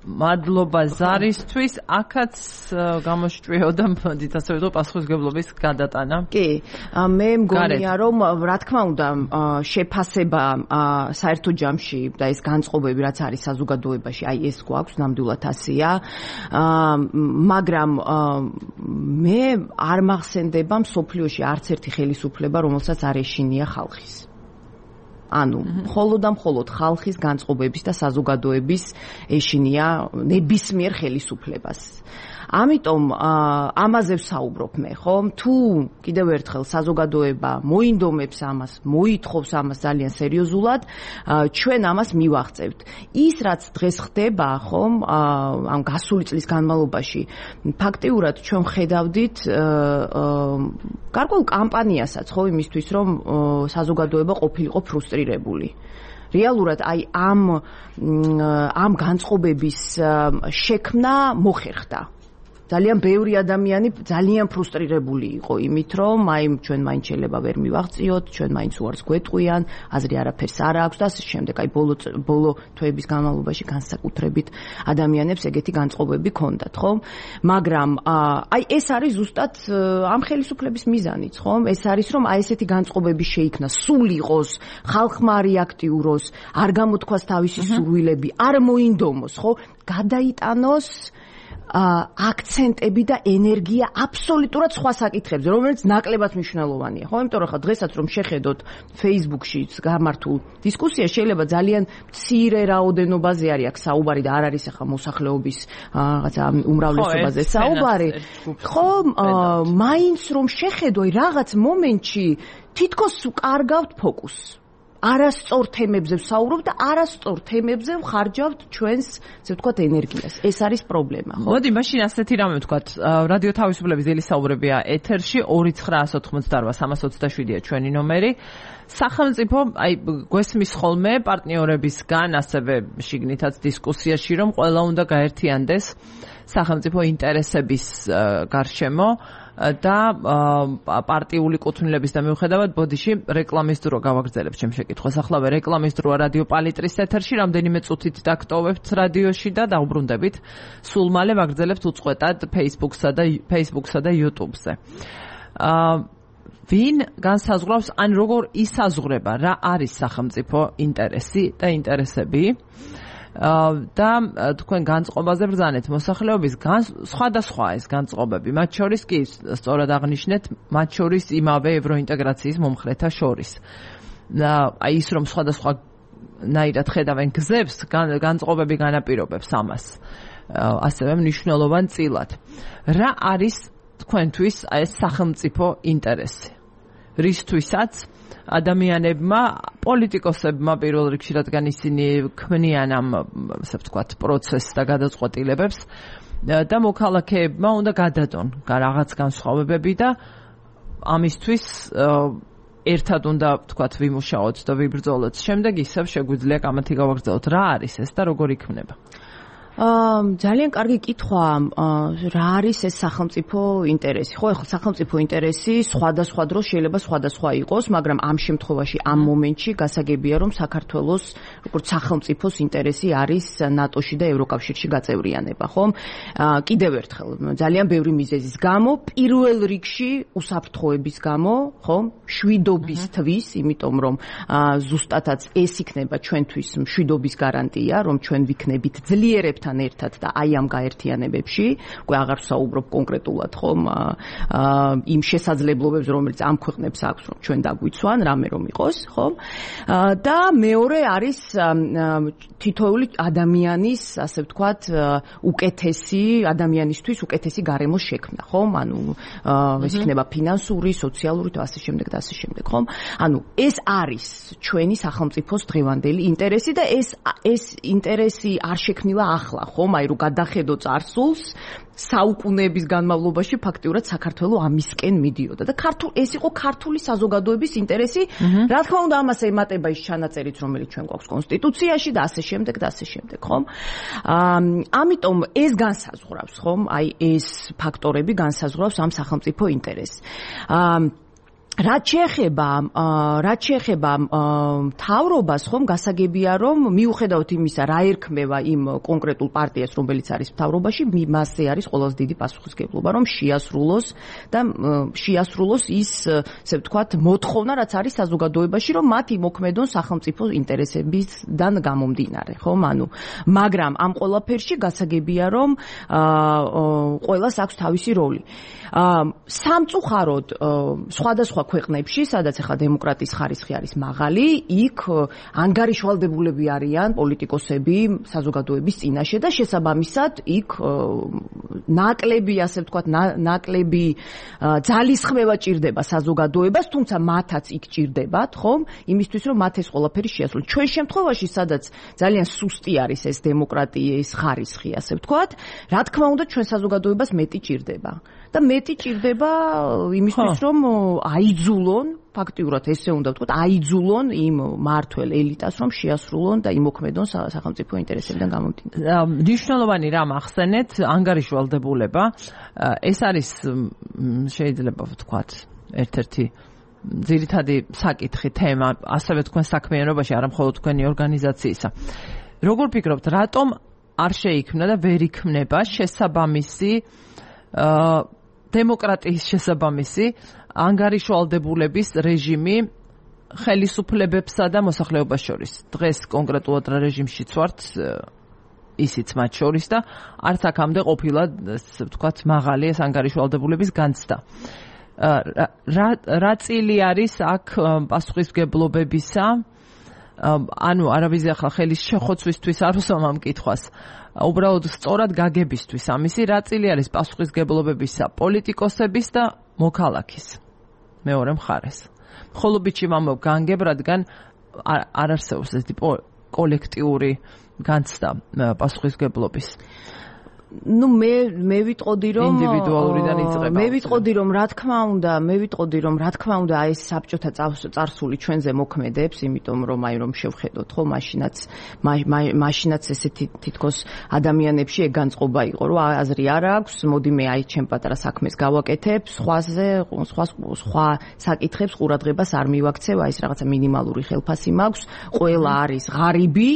მადლობა ზარისთვის აქაც გამოშჭრიოდა მოდით ასე ვთქვათ პასუხისმგებლობის გადატანა კი მე მგონია რომ რა თქმა უნდა შეფასება საერთო ჯამში და ეს განწყობები რაც არის საზოგადოებაში აი ეს გვაქვს ნამდვილად ასეა მაგრამ მე არ მახსენდება მსოფლიოში არც ერთი ხელისუფლება რომელსაც არ ეშინია ხალხის ანუ მხოლოდ და მხოლოდ ხალხის განწყობების და საზოგადოების ეშინია ნებისმიერ ხელისუფლებას. ამიტომ ამაზე ვსაუბრობ მე, ხო? თუ კიდევ ერთხელ საზოგადოება მოინდომებს ამას, მოითხოვს ამას ძალიან სერიოზულად, ჩვენ ამას მივაღწევთ. ის რაც დღეს ხდება, ხო, ამ გასული წლის განმავლობაში, ფაქტიურად ჩვენ ხედავდით გარკვეულ კამპანიასაც, ხო, იმისთვის, რომ საზოგადოება ყოფილიყო ფრუსტრირებული. რეალურად აი ამ განწყობების შექმნა მოხერხდა. ძალიან ბევრი ადამიანი ძალიან ფრუსტრირებული იყო იმით, რომ აი ჩვენ მაინც შეიძლება ვერ მივაღწიოთ, ჩვენ მაინც უარს გვეტყვიან, აზრი არაფერს არ აქვს და ასე შემდეგ. აი ბოლო თვეების განმავლობაში განსაკუთრებით ადამიანებს ეგეთი განწყობები ჰქონდათ, ხო? მაგრამ აი ეს არის ზუსტად ამ ხელისუფლების მიზანიც, ხო? ეს არის რომ აი ესეთი განწყობები შეიქმნა, სულ იყოს, ხალხმა რეაქტიუროს, არ გამოთქვას თავისი სურვილები, არ მოინდომოს, ხო? გადაიტანოს აქცენტები და ენერგია აბსოლუტურად სხვა საკითხებზე, რომელიც ნაკლებად მნიშვნელოვანია, ხო? იმიტომ რომ ხა დღესაც რომ შეხედოთ Facebook-ში გამართულ დისკუსიას, შეიძლება ძალიან მცირე რაოდენობაზე არის აქ საუბარი და არ არის ახლა მოსახლეობის რაღაცა უმრავლესობაზე საუბარი. ხო, მაინც რომ შეხედო რაღაც მომენტში თითქოს უკარგავთ ფოკუსს. არასწორ თემებზე ვსაუბრობ და არასწორ თემებზე ვხარჯავთ ჩვენს, ასე ვთქვათ, ენერგიას. ეს არის პრობლემა, ხო? მოდი, მაშინ ასეთი რამე ვთქვათ, რადიო თავისუფლების ძილის საუბრებია ეთერში 2988-327-ია ჩვენი ნომერი. სახელმწიფო, აი, გვესმის ხოლმე პარტნიორებისგან, ასევე შიგნითაც დისკუსიაში, რომ ყველა უნდა გაერთიანდეს სახელმწიფო ინტერესების გარშემო და პარტიული კუთვნილების და მიუხედავად ბოდიში რეკლამის დრო გავაგრძელებ ჩემს შეკითხვას. ახლა რეკლამის დროა რადიო პალიტრის ეთერში, რამდენიმე წუთით დაგტოვებთ რადიოში და დაუბრუნდებით. სულ მალე ვაგრძელებთ უწყვეტად Facebook-სა და YouTube-ზე. ვინ განსაზღვრავს, ან როგორ ისაზღვრება, რა არის სახელმწიფო ინტერესი და ინტერესები? და თქვენ განწყობაზე ბრძანეთ მოსახლეობის სხვადასხვა ეს განწყობები, მათ შორის კი სწორად აღნიშნეთ, მათ შორის იმავე ევროინტეგრაციის მომხრეთა შორის. აი ის რომ სხვადასხვა ნაირად ხედავენ გზებს, განწყობები განაპირობებს ამას. ასევე მნიშვნელოვან წილად. რა არის თქვენთვის ეს სახელმწიფო ინტერესი? რისთვისაც ადამიანებმა, პოლიტიკოსებმა პირველ რიგში, რადგან ისინი ქმნიან ამ, ასე ვთქვათ, პროცესს და გადაწყვეტილებებს და მოქალაქეებმა უნდა გადადონ რაღაც განსხვავებები და ამისთვის ერთად უნდა, ვთქვათ, ვიმუშაოთ და ვიბრძოლოთ. შემდეგ ისევ შეგვიძლია კამათი გავაგრძელოთ. რა არის ეს და როგორ იქნება? ძალიან კარგი კითხვა, რა არის ეს სახელმწიფო ინტერესი? ხო, ახლა სახელმწიფო ინტერესი სხვადასხვა დროს შეიძლება სხვადასხვა იყოს, მაგრამ ამ შემთხვევაში, ამ მომენტში გასაგებია, რომ საქართველოს როგორც სახელმწიფოს ინტერესი არის ნატოში და ევროკავშირში გაწევრიანება, ხო? კიდევ ერთხელ, ძალიან ბევრი მიზეზის გამო, პირველ რიგში უსაფრთხოების გამო, ხო? მშვიდობისთვის, იმიტომ რომ ზუსტადაც ეს იქნება ჩვენთვის მშვიდობის გარანტია, რომ ჩვენ ვიქნებით ძლიერებთან ერთად და აი ამ გაერთიანებებში, უკვე აღარ ვსაუბრობ კონკრეტულად, ხო, იმ შესაძლებლობებს, რომელიც ამ ქვეყნებს აქვს, რომ ჩვენ დაგვიცვან, რამე რომ იყოს, ხო? და მეორე არის თითოეული ადამიანის, ასე ვთქვათ, უკეთესი ადამიანისთვის უკეთესი გარემოს შექმნა, ხო? ანუ ეს იქნება ფინანსური, სოციალური და ასე შემდეგ და ასე შემდეგ, ხო? ანუ ეს არის ჩვენი სახელმწიფოს დღევანდელი ინტერესი და ეს ინტერესი არ შექმნილა ახლა, ხომ? აი რომ გადახედო წარსულს, საუკუნეების განმავლობაში ფაქტიურად საქართველო ამისკენ მიდიოდა და ეს იყო ქართული საზოგადოების ინტერესი, რა თქმა უნდა ამას ემატება ის ჩანაწერიც, რომელიც ჩვენ გვაქვს კონსტიტუციაში და ასე შემდეგ და ასე შემდეგ, ხომ? ამიტომ ეს განსაზღვრავს, ხომ? აი ეს ფაქტორები განსაზღვრავს ამ სახელმწიფო ინტერესს. რაც შეეხება მთავრობას, ხომ, გასაგებია, რომ მიუხედავად იმისა, რა ერქმევა იმ კონკრეტულ პარტიას, რომელიც არის მთავრობაში, მასზე არის ყველაზე დიდი პასუხისმგებლობა, რომ შეასრულოს ის, ასე ვთქვათ, მოთხოვნა, რაც არის საზოგადოებაში, რომ მათ იმოქმედონ სახელმწიფო ინტერესებიდან გამომდინარე, ხომ? ანუ, მაგრამ ამ ყველაფერში გასაგებია, რომ ყველას აქვს თავისი როლი. სამწუხაროდ, სხვადასხვა ქვეყნებში, სადაც ახლა დემოკრატიის ხარისხი არის მაღალი, იქ ანგარიშვალდებულები არიან პოლიტიკოსები საზოგადოების წინაშე და შესაბამისად იქ ნაკლები, ასე ვთქვათ, ნაკლები ძალისხმევა ჭირდება საზოგადოებას, თუმცა მათაც იქ ჭირდებათ, ხომ? იმისთვის, რომ მათ ეს ყველაფერი შეასრულონ. ჩვენ შემთხვევაში, სადაც ძალიან სუსტი არის ეს დემოკრატიის ხარისხი, ასე ვთქვათ, რა თქმა უნდა, ჩვენ საზოგადოებას მეტი ჭირდება. და მეტი ჭირდება იმისთვის, რომ აიძულონ, ფაქტიურად ესე უნდა ვთქვათ, აიძულონ იმ მართველ ელიტას, რომ შეასრულონ და იმოქმედონ სახელმწიფო ინტერესებიდან გამომდინარე. მნიშვნელოვანი რამ ახსენეთ, ანგარიშვალდებულება. ეს არის შეიძლება ვთქვათ, ერთ-ერთი ძირითადი საკითხი, თემა, ასევე თქვენ საქმიანობაში, არა მხოლოდ თქვენი ორგანიზაციისა. როგორ ფიქრობთ, რატომ არ შეიქმნა და ვერ იქმნება შესაბამისი დემოკრატიის შესაბამისი ანგარიშვალდებულების რეჟიმი ხელისუფლებებსა და მოსახლეობას შორის? დღეს კონკრეტულად რა რეჟიმშიც ვართ, ისიც მათ შორის და არც აქამდე ყოფილა, ასე ვთქვათ, მაღალი ეს ანგარიშვალდებულების განცდა. რა წილი არის აქ პასუხისმგებლობებისა? ანუ არავის ახლა ხელის შეხვოცვისთვის არ უსვამ ამ კითხვას. უბრალოდ სწორად გაგებისთვის ამისი რა წილი არის პასუხისმგებლობებისა პოლიტიკოსების და მოქალაქის მეორე მხარეს. მხოლობითში ვამბობ განგებ, რადგან არ არსებობს ესეთი კოლექტიური განცდა პასუხისმგებლობის. Ну, მე ვიტყოდი რომ ინდივიდუალურიდან იწყება. მე ვიტყოდი რომ რა თქმა უნდა აი ეს საბჭოთა წარსული ჩვენზე მოქმედებს, იმიტომ რომ აი რომ შევხედოთ, ხო, მაშინაც ესეთი თითქოს ადამიანებში ეგ განწყობა იყო, რომ აზრი არ აქვს, მოდი მე აი ჩემ პატარა საქმეს გავაკეთებ, სხვა საკითხებს ყურადღებას არ მივაქცევ, აი ეს რაღაცა მინიმალური ხელფასი მაქვს, ყველა არის ღარიბი,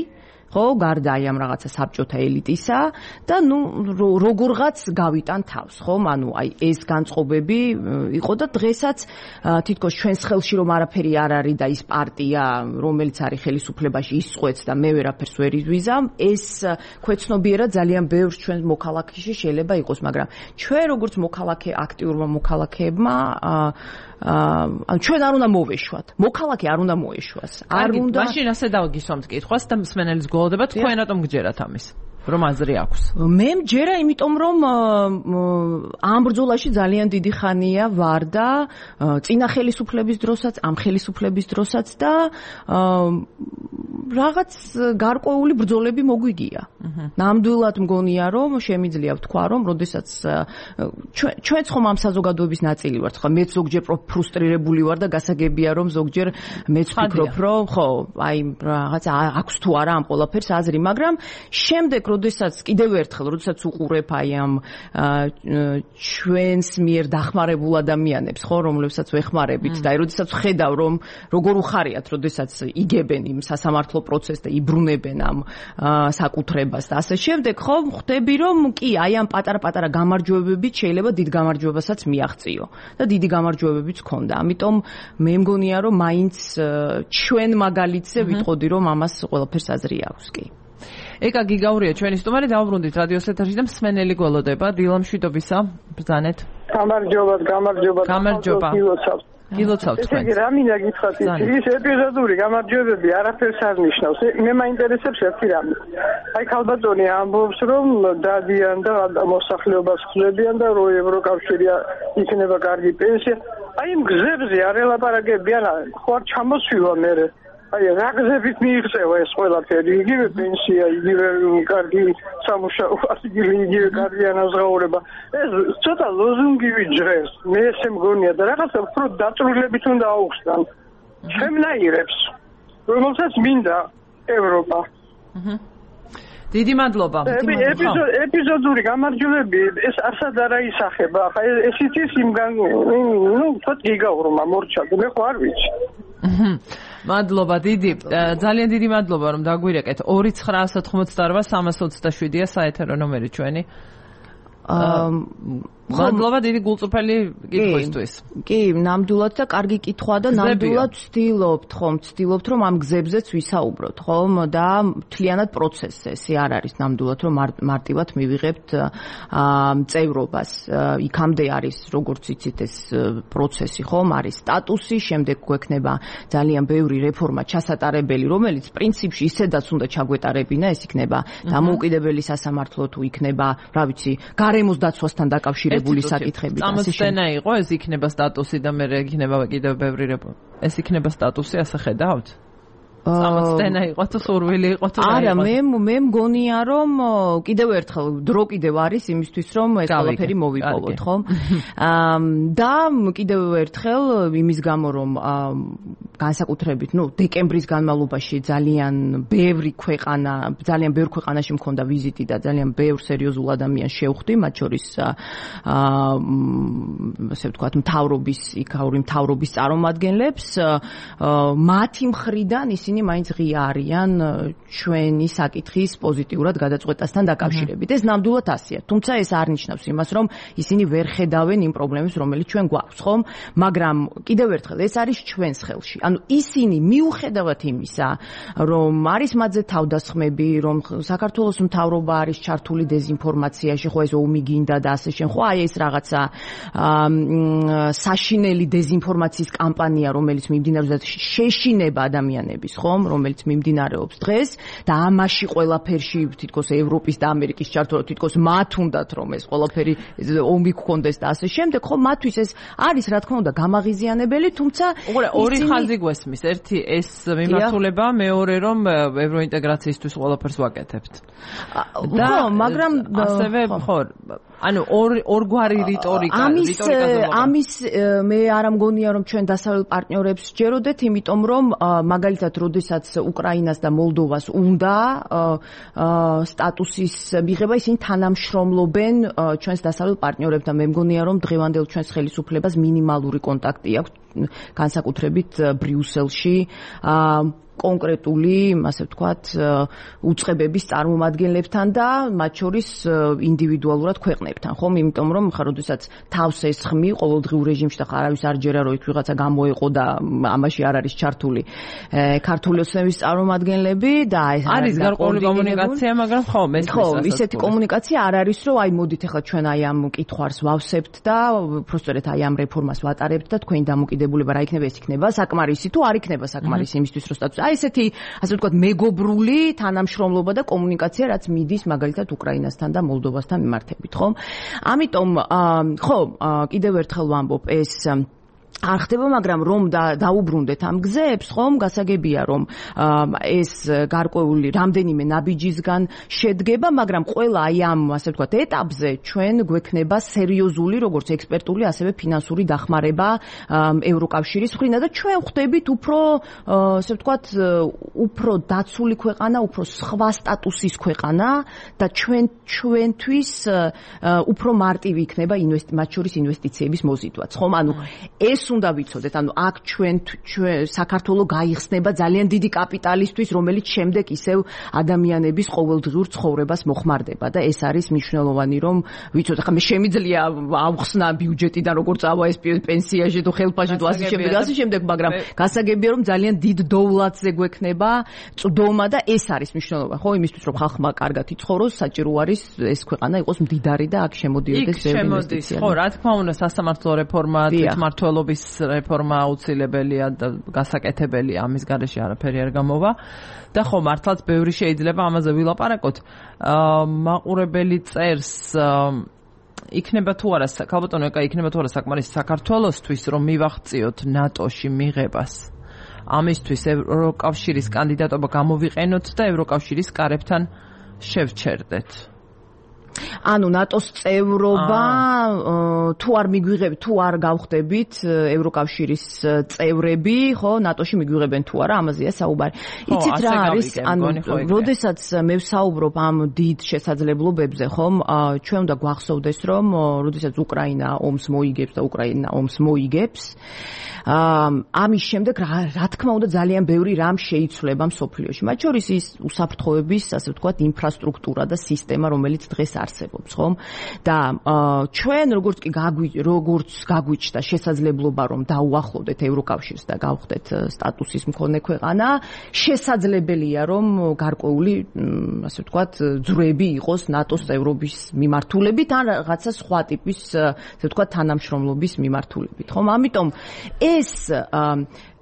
ხო, გარდა აი ამ რაღაცა საბჭოთა ელიტისა და ნუ როგორღაც გავიტან თავს, ხო? ანუ აი ეს განწყობები იყო და დღესაც თითქოს ჩვენს ხელში რომ არაფერი არ არის და ის პარტია, რომელიც არის ხელისუფლებაში, ისწყვეტს და მე ვერაფერს ვერ იზვიზამ, ეს ქვეცნობიერად ძალიან ბევრს ჩვენ მოქალაქეში შეიძლება იყოს, მაგრამ ჩვენ როგორც აქტიურმა მოქალაქეებმა ანუ ჩვენ არ უნდა მოვეშვათ. მოქალაქე არ უნდა მოეშვას. არ უნდა. მაშინ ასე დავგისვამთ კითხვას და მსმენელის გველოდება, თქვენ რატომ გჯერათ ამის? რომ აზრი აქვს. მე მჯერა, იმიტომ რომ ამ ბრძოლაში ძალიან დიდი ხანია ვარ და წინა ხელისუფლების დროსაც, ამ ხელისუფლების დროსაც და რაღაც გარკვეული ბრძოლები მოგვიგია. ნამდვილად მგონია რომ შემიძლია ვთქვა რომ როდესაც ჩვენც ხომ ამ საზოგადოების ნაწილი ვართ ხო მეც ზოგჯერ ფრუსტრირებული ვარ და გასაგებია რომ ზოგჯერ მეც ვფიქრობ რომ ხო აი რაღაც აქვს თუ არა ამ ყველაფერს აზრი მაგრამ შემდეგ როდესაც კიდევ ერთხელ როდესაც უყურებ აი ამ ჩვენს მიერ დახმარებულ ადამიანებს ხო რომლებსაც ვეხმარებით და აი როდესაც ვხედავ რომ როგორ უხარიათ როდესაც იგებენ იმ სასამართლო პროცესს და იბრუნებენ ამ საკუთრებას და ასე შემდეგ ხო ხვდები რომ კი აი ამ პატარა-პატარა გამარჯვებებით შეიძლება დიდ გამარჯვებასაც მიაღწიო და დიდი გამარჯვებებიც ქონდა. ამიტომ მე მგონია რომ მაინც ჩვენ მაგალითზე ვიტყოდი რომ ამას ყველაფერს აზრი აქვს კი. ეკა გიგაურია ჩვენი სტუმარი დავუბრუნდით რადიოს ეთერში და მსმენელი გველოდება დილამშვიდობისა ბრძანეთ. გამარჯობა. გილოცავთ თქვენ. ესე იგი რა მინდა გითხრათ ის ეპიზოდური გამარჯვებები არაფერს არ ნიშნავს. მე მაინტერესებს ერთი რამე. აი ქალბატონი ამბობს რომ დადიან და მოსახლეობას ხლებიან და რო ევროკავშირი იქნება კარგი პენსია. აი იმ გზებზე არ ელაპარაკებიან, ხო არ ჩამოსვივა მერე. აი რა გზებით მიიღწევა ეს ყველაფერი, იგივე პენსია, იგივე კარგი სამუშაო, იგივე კარგი ანაზღაურება. ეს ცოტა ლოზუნგივი ჯღერს. მე ესე მგონია და რაღაცა უფრო დაწვრილებით უნდა აუხსნან. ჩემნაირებს, რომელსაც მინდა ევროპა. დიდი მადლობა. ეპიზოდური გამარჯვებები ეს ასად არ აისახება. ხა ესიც ის იმგან ნუ თოთ გიგაურმა მორჩა. მე ხო არ ვიცი. მადლობა დიდი. ძალიან დიდი მადლობა რომ დაგვირეკეთ. 2988327-ია საეთერო ნომერი ჩვენი. მადლობა დიდი გულწრფელი კითხვისთვის. კი, ნამდვილად და კარგი კითხვა და ნამდვილად ვცდილობთ რომ ამ გზებზეც ვისაუბროთ, ხომ? და მთლიანად პროცესზე ეს არ არის ნამდვილად რომ მარტივად მივიღებთ წევრობას. იქამდე არის როგორც იცით ეს პროცესი, ხომ? არის სტატუსი, შემდეგ გვექნება ძალიან ბევრი რეფორმა ჩასატარებელი, რომელიც პრინციპში ისედაც უნდა ჩაგვეტარებინა, ეს იქნება დამოუკიდებელი სასამართლო თუ იქნება, რა ვიცი, გარემოს დაცვასთან დაკავშირებული საკითხები. წამოწენა იყო ეს იქნება სტატუსი და მე იქნება კიდევ ბევრი რეფორმა. ეს იქნება სტატუსი, ასე ხედავთ? წამოწენა იყო თუ სურვილი იყო თუ არა, მე მგონია რომ კიდევ ერთხელ დრო კიდევ არის იმისთვის რომ ეს ყველაფერი მოვიპოვოთ, ხო? და კიდევ ერთხელ იმის გამო რომ განსაკუთრებით, დეკემბრის განმავლობაში ძალიან ბევრ ქვეყანაში მქონდა ვიზიტი და ძალიან ბევრ სერიოზულ ადამიანს შევხვდი, მათ შორის ასე ვთქვათ, იქაური მთავრობის წარმომადგენლებს, მათი მხრიდან ისინი მაინც ღია არიან ჩვენი საკითხის პოზიტიურად გადაწყვეტასთან დაკავშირებით. ეს ნამდვილად ასეა. თუმცა ეს არ ნიშნავს იმას, რომ ისინი ვერ ხედავენ იმ პრობლემებს, რომელიც ჩვენ გვაქვს, ხომ? მაგრამ კიდევ ერთხელ ეს არის ჩვენს ხელში. ანუ ისინი მიუხედავად იმისა, რომ არის მათზე თავდასხმები, რომ საქართველოს მთავრობა არის ჩართული დეზინფორმაციაში, ხო ეს ომი გინდა და ასე შენ, ხო აი ეს რაღაცა საშინელი დეზინფორმაციის კამპანია, რომელიც მიმდინარეობს შეშინება ადამიანების, ხომ, რომელიც მიმდინარეობს დღეს და ამაში ყველაფერში თითქოს ევროპის და ამერიკის ჩართვა, თითქოს მათ უნდათ რომ ეს ყველაფერი ომი გქონდეს და ასე შემდეგ, ხო, მათთვის ეს არის რა თქმა უნდა გამაღიზიანებელი, თუმცა ორი ხაზი გვესმის. ერთი ეს მიმართულება, მეორე რომ ევროინტეგრაციისთვის ყველაფერს ვაკეთებთ. და მაგრამ ასევე ხო ანუ ორგვარი რიტორიკა ამის მე არ მგონია რომ ჩვენ დასავლელ პარტნიორებს ჯეროდეთ, იმიტომ რომ მაგალითად როდესაც უკრაინას და მოლდოვას უნდა სტატუსის მიღება, ისინი თანამშრომლობენ ჩვენს დასავლელ პარტნიორებთან. მე მგონია რომ დღევანდელ ჩვენს ხელისუფლებას მინიმალური კონტაქტი აქვს განსაკუთრებით ბრიუსელში კონკრეტული, ასე ვთქვათ, უწყებების წარმომადგენლებთან და მათ შორის ინდივიდუალურად ქვეყნებთან, ხომ? იმიტომ რომ ხა როდესაც თავს ესხმი ყოველდღიურ რეჟიმში და არავის არ ჯერა რომ იქ ვიღაცა გამოეყო და ამაში არ არის ჩართული ქართული ოცნების წარმომადგენლები და არის გარკვეული კომუნიკაცია, მაგრამ ხო, ისეთი კომუნიკაცია არ არის, რომ აი მოდით ახლა ჩვენ აი ამ კითხვას ვავსებთ და უბრალოდ აი ამ რეფორმას ვატარებთ და თქვენი დამოკიდებულება რა იქნება, ეს იქნება საკმარისი თუ არ იქნება საკმარისი იმისთვის რომ სტატუსი აი ესეთი, ასე ვთქვათ, მეგობრული თანამშრომლობა და კომუნიკაცია, რაც მიდის მაგალითად უკრაინასთან და მოლდოვასთან მიმართებით, ხო? ამიტომ, ხო, კიდევ ერთხელ ვამბობ, ეს არ ხდება, მაგრამ რომ დაუბრუნდეთ ამ გზებს, ხომ, გასაგებია, რომ ეს გარკვეული რამდენიმე ნაბიჯისგან შედგება, მაგრამ ყველა აი ამ, ასე ვთქვათ, ეტაპზე ჩვენ გვექნება სერიოზული, როგორც ექსპერტული, ასევე ფინანსური დახმარება ევროკავშირის მხრიდან და ჩვენ ხვდებით უფრო, ასე ვთქვათ, უფრო დაცული ქვეყანა, უფრო სხვა სტატუსის ქვეყანა და ჩვენთვის უფრო მარტივი იქნება მათ შორის ინვესტიციების მოზიდვაც, ხომ? ანუ ეს უნდა ვიცოდეთ, ანუ აქ ჩვენ საქართველოს გაიხსნება ძალიან დიდი კაპიტალისტვის, რომელიც შემდეგ ისევ ადამიანების ყოველდღიურ ცხოვრებას მოხმარდება და ეს არის მნიშვნელოვანი, რომ ვიცოდეთ, ხა მე შემიძლია ავხსნა ბიუჯეტიდან როგორ წავა ეს პენსიაში თუ ხელფაში თუ ასე შემდეგ, მაგრამ გასაგებია, რომ ძალიან დიდ დოვლატზე გვექნება წვდომა და ეს არის მნიშვნელოვანი, ხო, იმისთვის, რომ ხალხმა კარგად იცხოვროს, საჭირო არის ეს ქვეყანა იყოს მდიდარი და აქ შემოდიოდეს ბევრი ინვესტიცია. ხო, რა თქმა უნდა, სასამართლო რეფორმა, თვითმმართველობის რეფორმა აუცილებელია და გასაკეთებელია, ამის გარეშე არაფერი არ გამოვა. და ხო, მართლაც ბევრი შეიძლება ამაზე ვილაპარაკოთ. მაყურებელი წერს იქნება თუ არა, ქალბატონო ეკა, იქნება თუ არა საკმარისი საქართველოსთვის, რომ მივაღწიოთ ნატოში მიღებას. ამისთვის ევროკავშირის კანდიდატობა გამოვიყენოთ და ევროკავშირის კარებთან შევჩერდეთ. ანუ ნატოს წევრობა თუ არ მიგვიღებით, თუ არ გავხდებით ევროკავშირის წევრები, ხო, ნატოში მიგვიღებენ თუ არა, ამაზეა საუბარი. იცით რა არის? ანუ როდესაც მე ვსაუბრობ ამ დიდ შესაძლებლობებზე, ხომ, ჩვენ უნდა გვახსოვდეს, რომ როდესაც უკრაინა ომს მოიგებს და უკრაინა ომს მოიგებს, ამის შემდეგ რა თქმა უნდა ძალიან ბევრი რამ შეიცვლება მსოფლიოში. მათ შორის ის უსაფრთხოების, ასე ვთქვათ, ინფრასტრუქტურა და სისტემა, რომელიც დღეს არსებობს, ხომ? და ჩვენ როგორც გაგვიჩნდა შესაძლებლობა, რომ დაუახლოვდეთ ევროკავშირს და გავხდეთ სტატუსის მქონე ქვეყანა, შესაძლებელია, რომ გარკვეული, ასე ვთქვათ, ძვრები იყოს ნატოს წევრობის მიმართულებით ან რაღაცა სხვა ტიპის, ასე ვთქვათ, თანამშრომლობის მიმართულებით, ხომ? ამიტომ ეს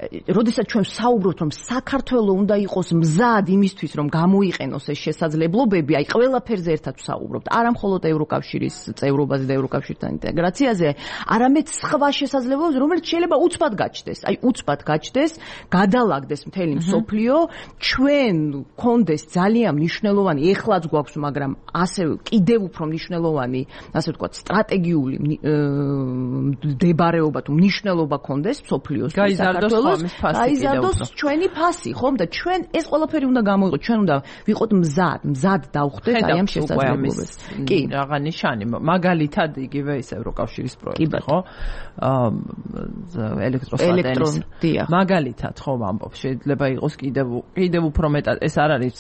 როდესაც ჩვენ ვსაუბრობთ, რომ საქართველოს უნდა იყოს მზად იმისთვის, რომ გამოიყენოს ეს შესაძლებლობები, აი ყველაფერზე ერთად ვსაუბრობთ, არა მხოლოდ ევროკავშირის წევრობაზე და ევროკავშირთან ინტეგრაციაზე, არამედ სხვა შესაძლებლობებზე, რომელიც შეიძლება უცბად გაჩნდეს. აი უცბად გაჩნდეს, გადალაგდეს მთელი მსოფლიო, ჩვენ გქონდეს ძალიან მნიშვნელოვანი, ეხლაც გვაქვს, მაგრამ ასევე კიდევ უფრო მნიშვნელოვანი, ასე ვთქვათ, სტრატეგიული მდებარეობა თუ მნიშვნელობა გქონდეს მსოფლიოს საქართველოს. გაიზარდოს ჩვენი ფასი, ხომ? და ჩვენ ეს ყველაფერი უნდა გამოიყო, ჩვენ უნდა ვიყოთ მზად დავხვდეთ აი ამ შესაძლებლობებს. კი, რაღა ნიშანი, მაგალითად იგივე ის ევროკავშირის პროექტი, ხო? ელექტროსატელის. მაგალითად, ხო, ვამბობ, შეიძლება იყოს კიდევ უფრო მეტად, ეს არ არის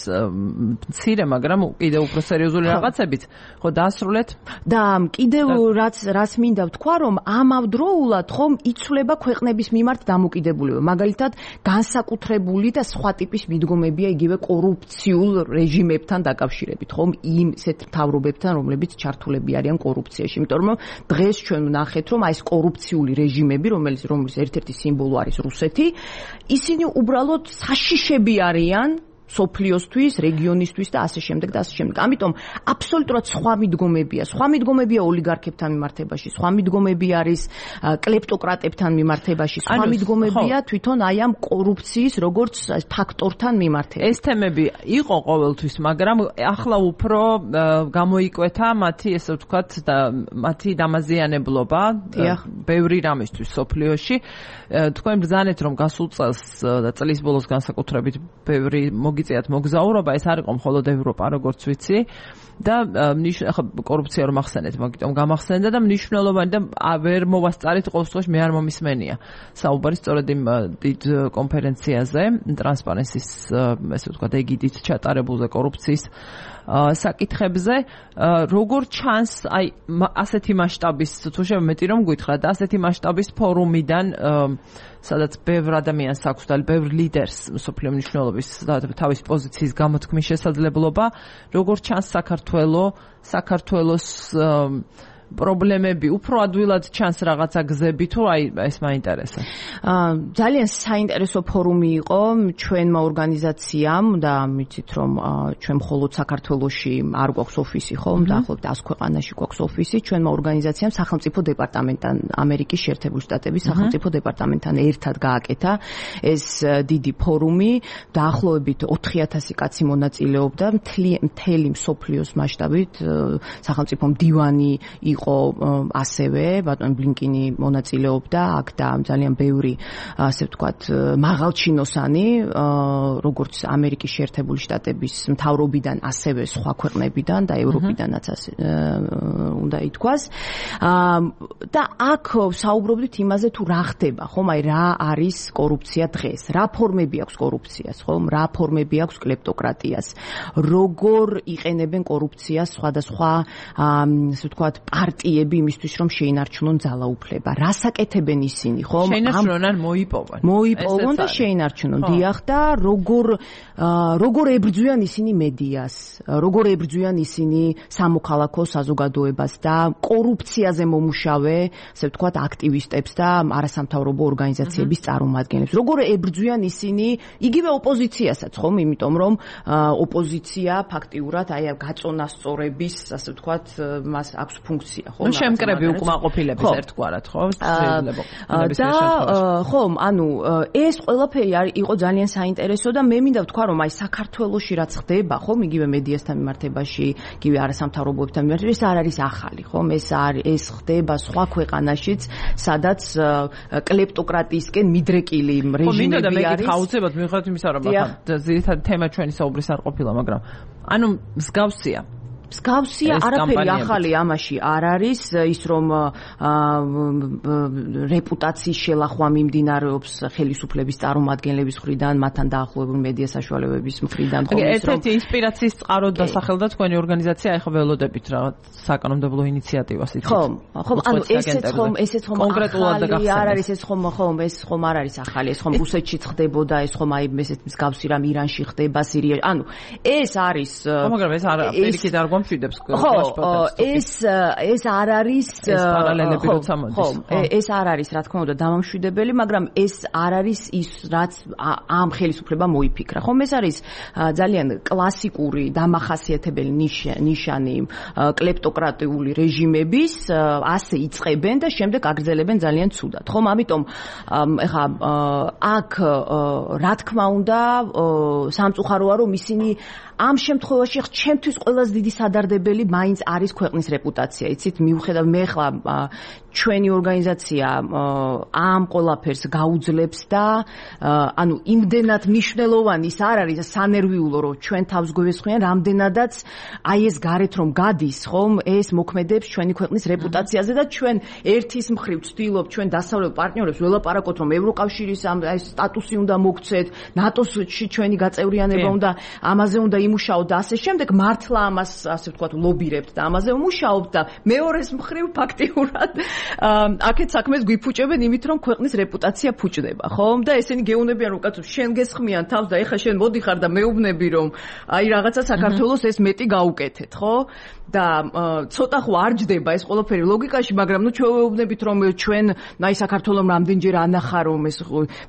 მცირე, მაგრამ კიდევ უფრო სერიოზული რაღაცებით, ხო, დაასრულეთ? და კიდევ რაც მინდა ვთქვა, რომ ამავდროულად, ხომ, იცვლება ქვეყნების მიმართ დამოკიდებულება. მაგალითად, განსაკუთრებული და სხვა ტიპის მიდგომებია იგივე კორუფციულ რეჟიმებთან დაკავშირებით, ხომ? იმ ისეთ მთავრობებთან, რომლებიც ჩართულები არიან კორუფციაში. იმიტომ რომ დღეს ჩვენ ვნახეთ, რომ აი ეს კორუფციული რეჟიმები, რომლის ერთ-ერთი სიმბოლო არის რუსეთი, ისინი უბრალოდ საშიშები არიან სოფლიოსთვის, რეგიონისთვის და ასე შემდეგ და ასე შემდეგ. ამიტომ აბსოლუტურად სხვა მიდგომებია ოლიგარქებთან მიმართებაში, სხვა მიდგომები არის კლეპტოკრატებთან მიმართებაში, სხვა მიდგომებია თვითონ აი ამ კორუფციის როგორც ფაქტორთან მიმართებაში. ეს თემები იყო ყოველთვის, მაგრამ ახლა უფრო გამოიკვეთა მათი, ესე ვთქვათ, და მათი დამაზიანებლობა ბევრი რამისთვის სოფლიოში. თქვენ ბრძანეთ, რომ გასულ წელს და წლის ბოლოს განსაკუთრებით ბევრი მოგიწიათ მოგზაურობა, ეს არ იყო მხოლოდ ევროპა, როგორც ვიცი. და ახლა კორუფცია რომ ახსენეთ, მაგიტომ გამახსენდა და მნიშვნელოვანი და ვერ მოვასწარით ყოველ შემთხვევაში მე არ მომისმენია. საუბარი სწორედ იმ დიდ კონფერენციაზე, ტრანსპარენსის, ესე ვთქვათ, ეგიდით ჩატარებულზე კორუფციის საკითხებზე, როგორ ჩანს აი ასეთი მასშტაბის, თუ შემეტი რომ გითხრათ, ასეთი მასშტაბის ფორუმიდან, სადაც ბევრ ადამიანს აქვს და ბევრ ლიდერს მსოფლიო მნიშვნელობის თავის პოზიციის გამოთქმის შესაძლებლობა, როგორ ჩანს საქართველოს პრობლემები უფრო ადვილად ჩანს რაღაცა გზები თუ აი ეს მაინტერესებს. ძალიან საინტერესო ფორუმი იყო ჩვენმა ორგანიზაციამ და მიცით რომ ჩვენ მხოლოდ საქართველოში არ გვაქვს ოფისი ხო დაახლოებით 100 ქვეყანაში გვაქვს ოფისი ჩვენმა ორგანიზაციამ სახელმწიფო დეპარტამენტთან ამერიკის შეერთებული შტატების სახელმწიფო დეპარტამენტთან ერთად გააკეთა ეს დიდი ფორუმი დაახლოებით 4000 კაცი მონაწილეობდა მთელი მსოფლიოს მასშტაბით სახელმწიფო მდივანი იყო ასევე ბატონ ბლინკინი მონაწილეობდა აქ და ძალიან ბევრი ასე ვთქვათ მაღალჩინოსანი როგორც ამერიკის შეერთებული შტატების მთავრობიდან ასევე სხვა ქვეყნებიდან და ევროპიდანაც უნდა ითქვას და აქ საუბრობდით იმაზე თუ რა ხდება ხომ აი რა არის კორუფცია დღეს რა ფორმები აქვს კორუფციას ხომ რა ფორმები აქვს კლეპტოკრატიას როგორ იყენებენ კორუფციას სხვადასხვა ასე ვთქვათ პარტიები იმისთვის რომ შეინარჩუნონ ძალაუფლება რას აკეთებენ ისინი ხომ შეინარჩუნონ ან მოიპოვონ და შეინარჩუნონ დიახ და როგორ ებრძვიან ისინი მედიას როგორ ებრძვიან ისინი სამოქალაქო საზოგადოებას და კორუფციაზე მომუშავე ასე ვთქვათ აქტივისტებს და არასამთავრობო ორგანიზაციების წარმომადგენლებს როგორ ებრძვიან ისინი იგივე ოპოზიციასაც ხომ იმიტომ რომ ოპოზიცია ფაქტიურად აი გაწონასწორების ასე ვთქვათ მას აქვს ფუნქცია ხო შემკრები უკმაყოფილების ერთგვარად ხო და ხომ ანუ ეს ყველაფერი იყო ძალიან საინტერესო და მე მინდა ვთქვა რომ აი საქართველოში რაც ხდება ხომ იგივე მედიასთან მიმართებაში იგივე არასამთავრობოებთან მიმართებაში ეს არ არის ახალი ხომ ეს ხდება სხვა ქვეყანაშიც სადაც კლეპტოკრატიისკენ მიდრეკილი რეჟიმები არის ხაუცებად მიუხედავად იმისა რომ ძირითადი თემა ჩვენი საუბრის არ ყოფილა მაგრამ ანუ მსგავსია არაფერი ახალი ამაში არ არის ის რომ რეპუტაციის შელახვა მიმდინარეობს ხელისუფლების წარმომადგენლების მხრიდან მათთან დაახლოებული მედია საშუალებების მხრიდან ხო ერთ-ერთი ინსპირაციის წყაროდ დასახელდა თქვენი ორგანიზაცია ახლა ველოდებით რაღაც საკანონმდებლო ინიციატივას იცით ხომ ანუ ესეც ხომ კონკრეტულად და არ არის ეს ხომ არ არის ახალი ეს ხომ რუსეთშიც ხდებოდა ეს ხომ აი ესეთ მსგავსი რამ ირანში ხდება სირიაში ანუ ეს არის მაგრამ ეს არ პირიქით არ ეს არ არის პარალელები როცა მოდის ეს არ არის რა თქმა უნდა დამამშვიდებელი მაგრამ ეს არ არის ის რაც ამ ხელისუფლებამ მოიფიქრა ხომ ეს არის ძალიან კლასიკური დამახასიათებელი ნიშანი კლეპტოკრატიული რეჟიმების ასე იწყებენ და შემდეგ აგრძელებენ ძალიან ცუდად ხომ ამიტომ ეხა აქ რა თქმა უნდა სამწუხაროა რომ ისინი ამ შემთხვევაში ჩემთვის ყველაზე დიდი სადარდებელი მაინც არის ქვეყნის რეპუტაცია. იცით, მიუხედავად მე ხლა ჩვენი ორგანიზაცია ამ ყველაფერს გაუძლებს და ანუ იმდენად მნიშვნელოვანი ის არ არის სანერვიულო რომ ჩვენ თავს გვესხვიან რამდენადაც აი ეს გარეთ რომ გადის ხომ ეს მოქმედებს ჩვენი ქვეყნის რეპუტაციაზე და ჩვენ ერთის მხრივ ვცდილობ ჩვენ დასავლელ პარტნიორებს ველაპარაკოთ რომ ევროკავშირის ამ სტატუსი უნდა მოგცეთ ნატოში ჩვენი გაწევრიანება უნდა ამაზე უნდა იმუშაოთ და ასე შემდეგ მართლა ამას ასე ვთქვათ ლობირებთ და ამაზე ვმუშაობთ და მეორეს მხრივ ფაქტიურად აქეთ საქმეს გვიფუჭებენ იმით რომ ქვეყნის რეპუტაცია ფუჭდება ხომ და ესენი გეუბნებიან რომ კაცო შენ გესხმიან თავს და ეხა შენ მოდიხარ და მეუბნები რომ აი რაღაცა საქართველოს ეს მეტი გაუკეთეთ ხო და ცოტა ხო არ ჯდება ეს ყველაფერი ლოგიკაში მაგრამ ნუ ჩვენ ვეუბნებით რომ ჩვენ აი საქართველოს რამდენჯერ ანახა რომ ეს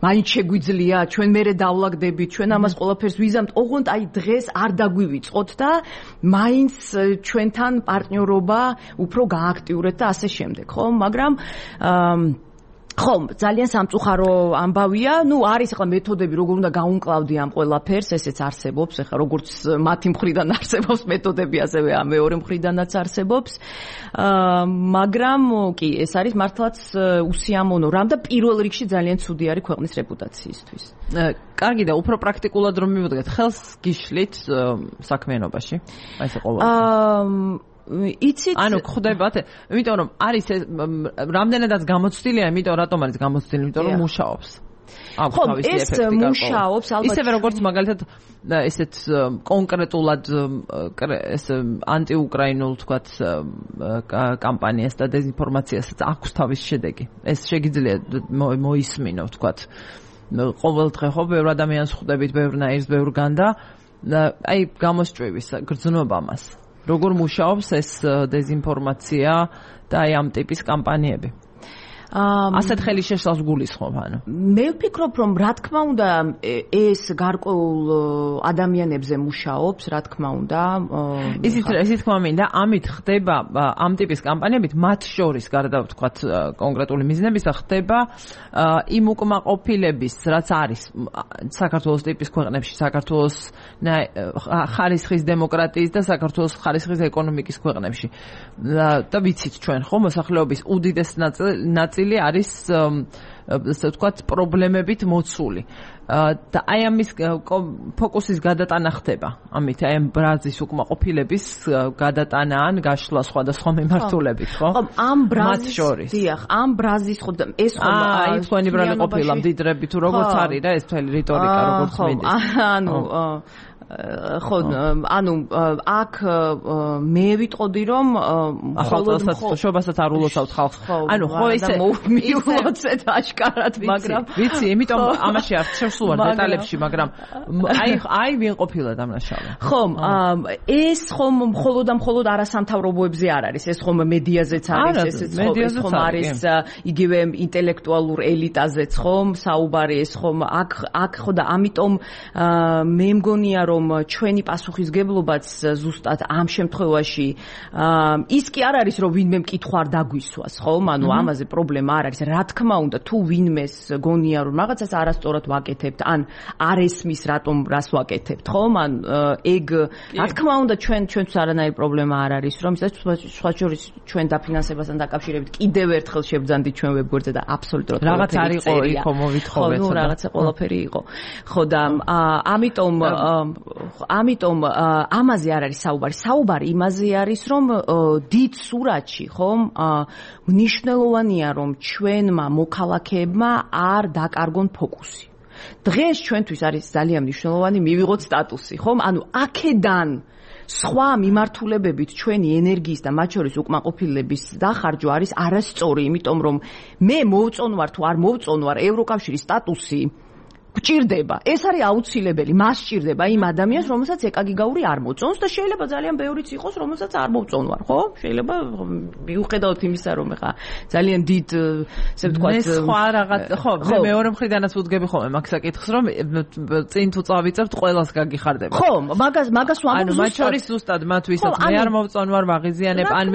მაინც შეგვიძლია ჩვენ მერე დავლაგდებით ჩვენ ამას ყველაფერს ვიზამთ ოღონდ აი დღეს არ დაგვივიწყოთ და მაინც ჩვენთან პარტნიორობა უფრო გააქტიურეთ და ასე შემდეგ ხო მაგრამ ხომ ძალიან სამწუხარო ამბავია ნუ არის ახლა მეთოდები როგორ უნდა გაუმკლავდი ამ ყველაფერს ესეც არსებობს ახლა როგორც მათი მხრიდან არსებობს მეთოდები ასევე ამ მეორე მხრიდანაც არსებობს მაგრამ კი ეს არის მართლაც უსიამოვნო რამ და პირველ რიგში ძალიან ცუდი არის ქვეყნის რეპუტაციისთვის კარგი და უფრო პრაქტიკულად რომ მივუდგეთ ხელს გიშლით საქმიანობაში აი ეს ყოველთვის იცით ანუ ხდებათ იმიტომ რომ არის რამდენადაც გამოცდილია იმიტომ რატომ არის გამოცდილი იმიტომ რომ მუშაობს ხო ეს მუშაობს ალბათ ისევე როგორც მაგალითად ესეთ კონკრეტულად ეს ანტიუკრაინულ თქვათ კამპანიას და დეзинფორმაციასაც აქვს თავის შედეგი ეს შეგიძლია მოისმინო თქვათ ყოველ დღე ხო ბევრ ადამიანს ხვდებით ბევრნაირს ბევრგან და აი გამოსჭვივის გრძნობა მას როგორ მუშაობს ეს დეზინფორმაცია და აი ამ ტიპის კამპანიები? ასეთ ხელი შეშლავს გულისხმობ ანუ. მე ვფიქრობ რომ რა თქმა უნდა ეს გარკვეულ ადამიანებზე მუშაობს, რა თქმა უნდა. ისიც თქმა მინდა, ამით ხდება ამ ტიპის კამპანიებით მათ შორის გარდა ვთქვათ კონკრეტული მიზნებისა ხდება იმ უკმაყოფილების, რაც არის საქართველოს ტიპის ქვეყნებში, საქართველოს ხარისხის დემოკრატიის და საქართველოს ხარისხის ეკონომიკის ქვეყნებში. და ვიცით ჩვენ ხო მოსახლეობის უდიდეს ნაწილი არის ასე ვთქვათ პრობლემებით მოცული და აი ამის ფოკუსის გადატანა ხდება ამით აი ამ ბრაზის უკმაყოფილების გადატანა ან გაშლა სხვადასხვა მიმართულებით ხო ამ ბრაზის დიახ ამ ბრაზის ხო ეს ხო აი თქვენი ბრალი ყოფილა მდიდრები თუ როგორც არის რა ეს თველი რიტორიკა როგორც მინდა ანუ ხო ანუ აქ მე ვიტყოდი რომ შობასაც არ ულოცავთ ხალხს ანუ ხო ისე მიულოცეთ აშკარად მაგრამ ვიცი იმიტომ ამაში არ შევსულ ვარ დეტალებში მაგრამ აი ვინ ყოფილა დამნაშავე ხო ეს ხომ მხოლოდ არასამთავრობოებზე არ არის ეს ხომ მედიაზეც არის ეს ხომ არის იგივე ინტელექტუალურ ელიტაზეც ხომ საუბარი ეს ხომ აქ ხო და ამიტომ მე მგონია რომ ჩვენი პასუხისგებლობაც ზუსტად ამ შემთხვევაში ის კი არ არის რომ ვინმე მკითხვა არ დაგვისვას ხომ ანუ ამაზე პრობლემა არ არის რა თქმა უნდა თუ ვინმეს გონია რომ რაღაცას არასწორად ვაკეთებთ ან არ ესმის რატომ რას ვაკეთებთ ხომ ან ეგ რა თქმა უნდა ჩვენთვის არანაირი პრობლემა არ არის რომ სხვა შორის ჩვენ დაფინანსებასთან დაკავშირებით კიდევ ერთხელ შევძანდით ჩვენ ვებგვერდზე და აბსოლუტურად რაღაც არ იყო იქ მოვითხოვეთ ხო რაღაცა ყველაფერი იყო ხო და ამიტომ ამაზე არ არის საუბარი. საუბარი იმაზე არის, რომ დიდ სურათში, ხომ, მნიშვნელოვანია, რომ ჩვენმა მოქალაქეებმა არ დაკარგონ ფოკუსი. დღეს ჩვენთვის არის ძალიან მნიშვნელოვანი მივიღოთ სტატუსი, ხომ? ანუ აქედან სხვა მიმართულებებით ჩვენი ენერგიის და მათ შორის უკმაყოფილების დახარჯვა არის არასწორი, იმიტომ რომ მე მოვწონვარ თუ არ მოვწონვარ ევროკავშირის სტატუსი გჭირდება. ეს არის აუცილებელი, მას სჭირდება იმ ადამიანს, რომელსაც ეკაგიგაური არ მოწონს და შეიძლება ძალიან ბევრიც იყოს, რომელსაც არ მოწონვარ, ხო? შეიძლება მიუხედავად იმისა, რომ ეხა ძალიან დიდ, ესე ვთქვათ, ეს სხვა რაღაც, ხო, მე მეორე მხრიდანაც ვუდგები ხოლმე მაგ საკითხს, რომ წინ თუ წავიწევთ, ყველას გაგიხარდება. ხო, მაგას ვამბობ ანუ მათ შორის ზუსტად მათ ვისაც მე არ მოვწონვარ, ვაღიზიანებ, ან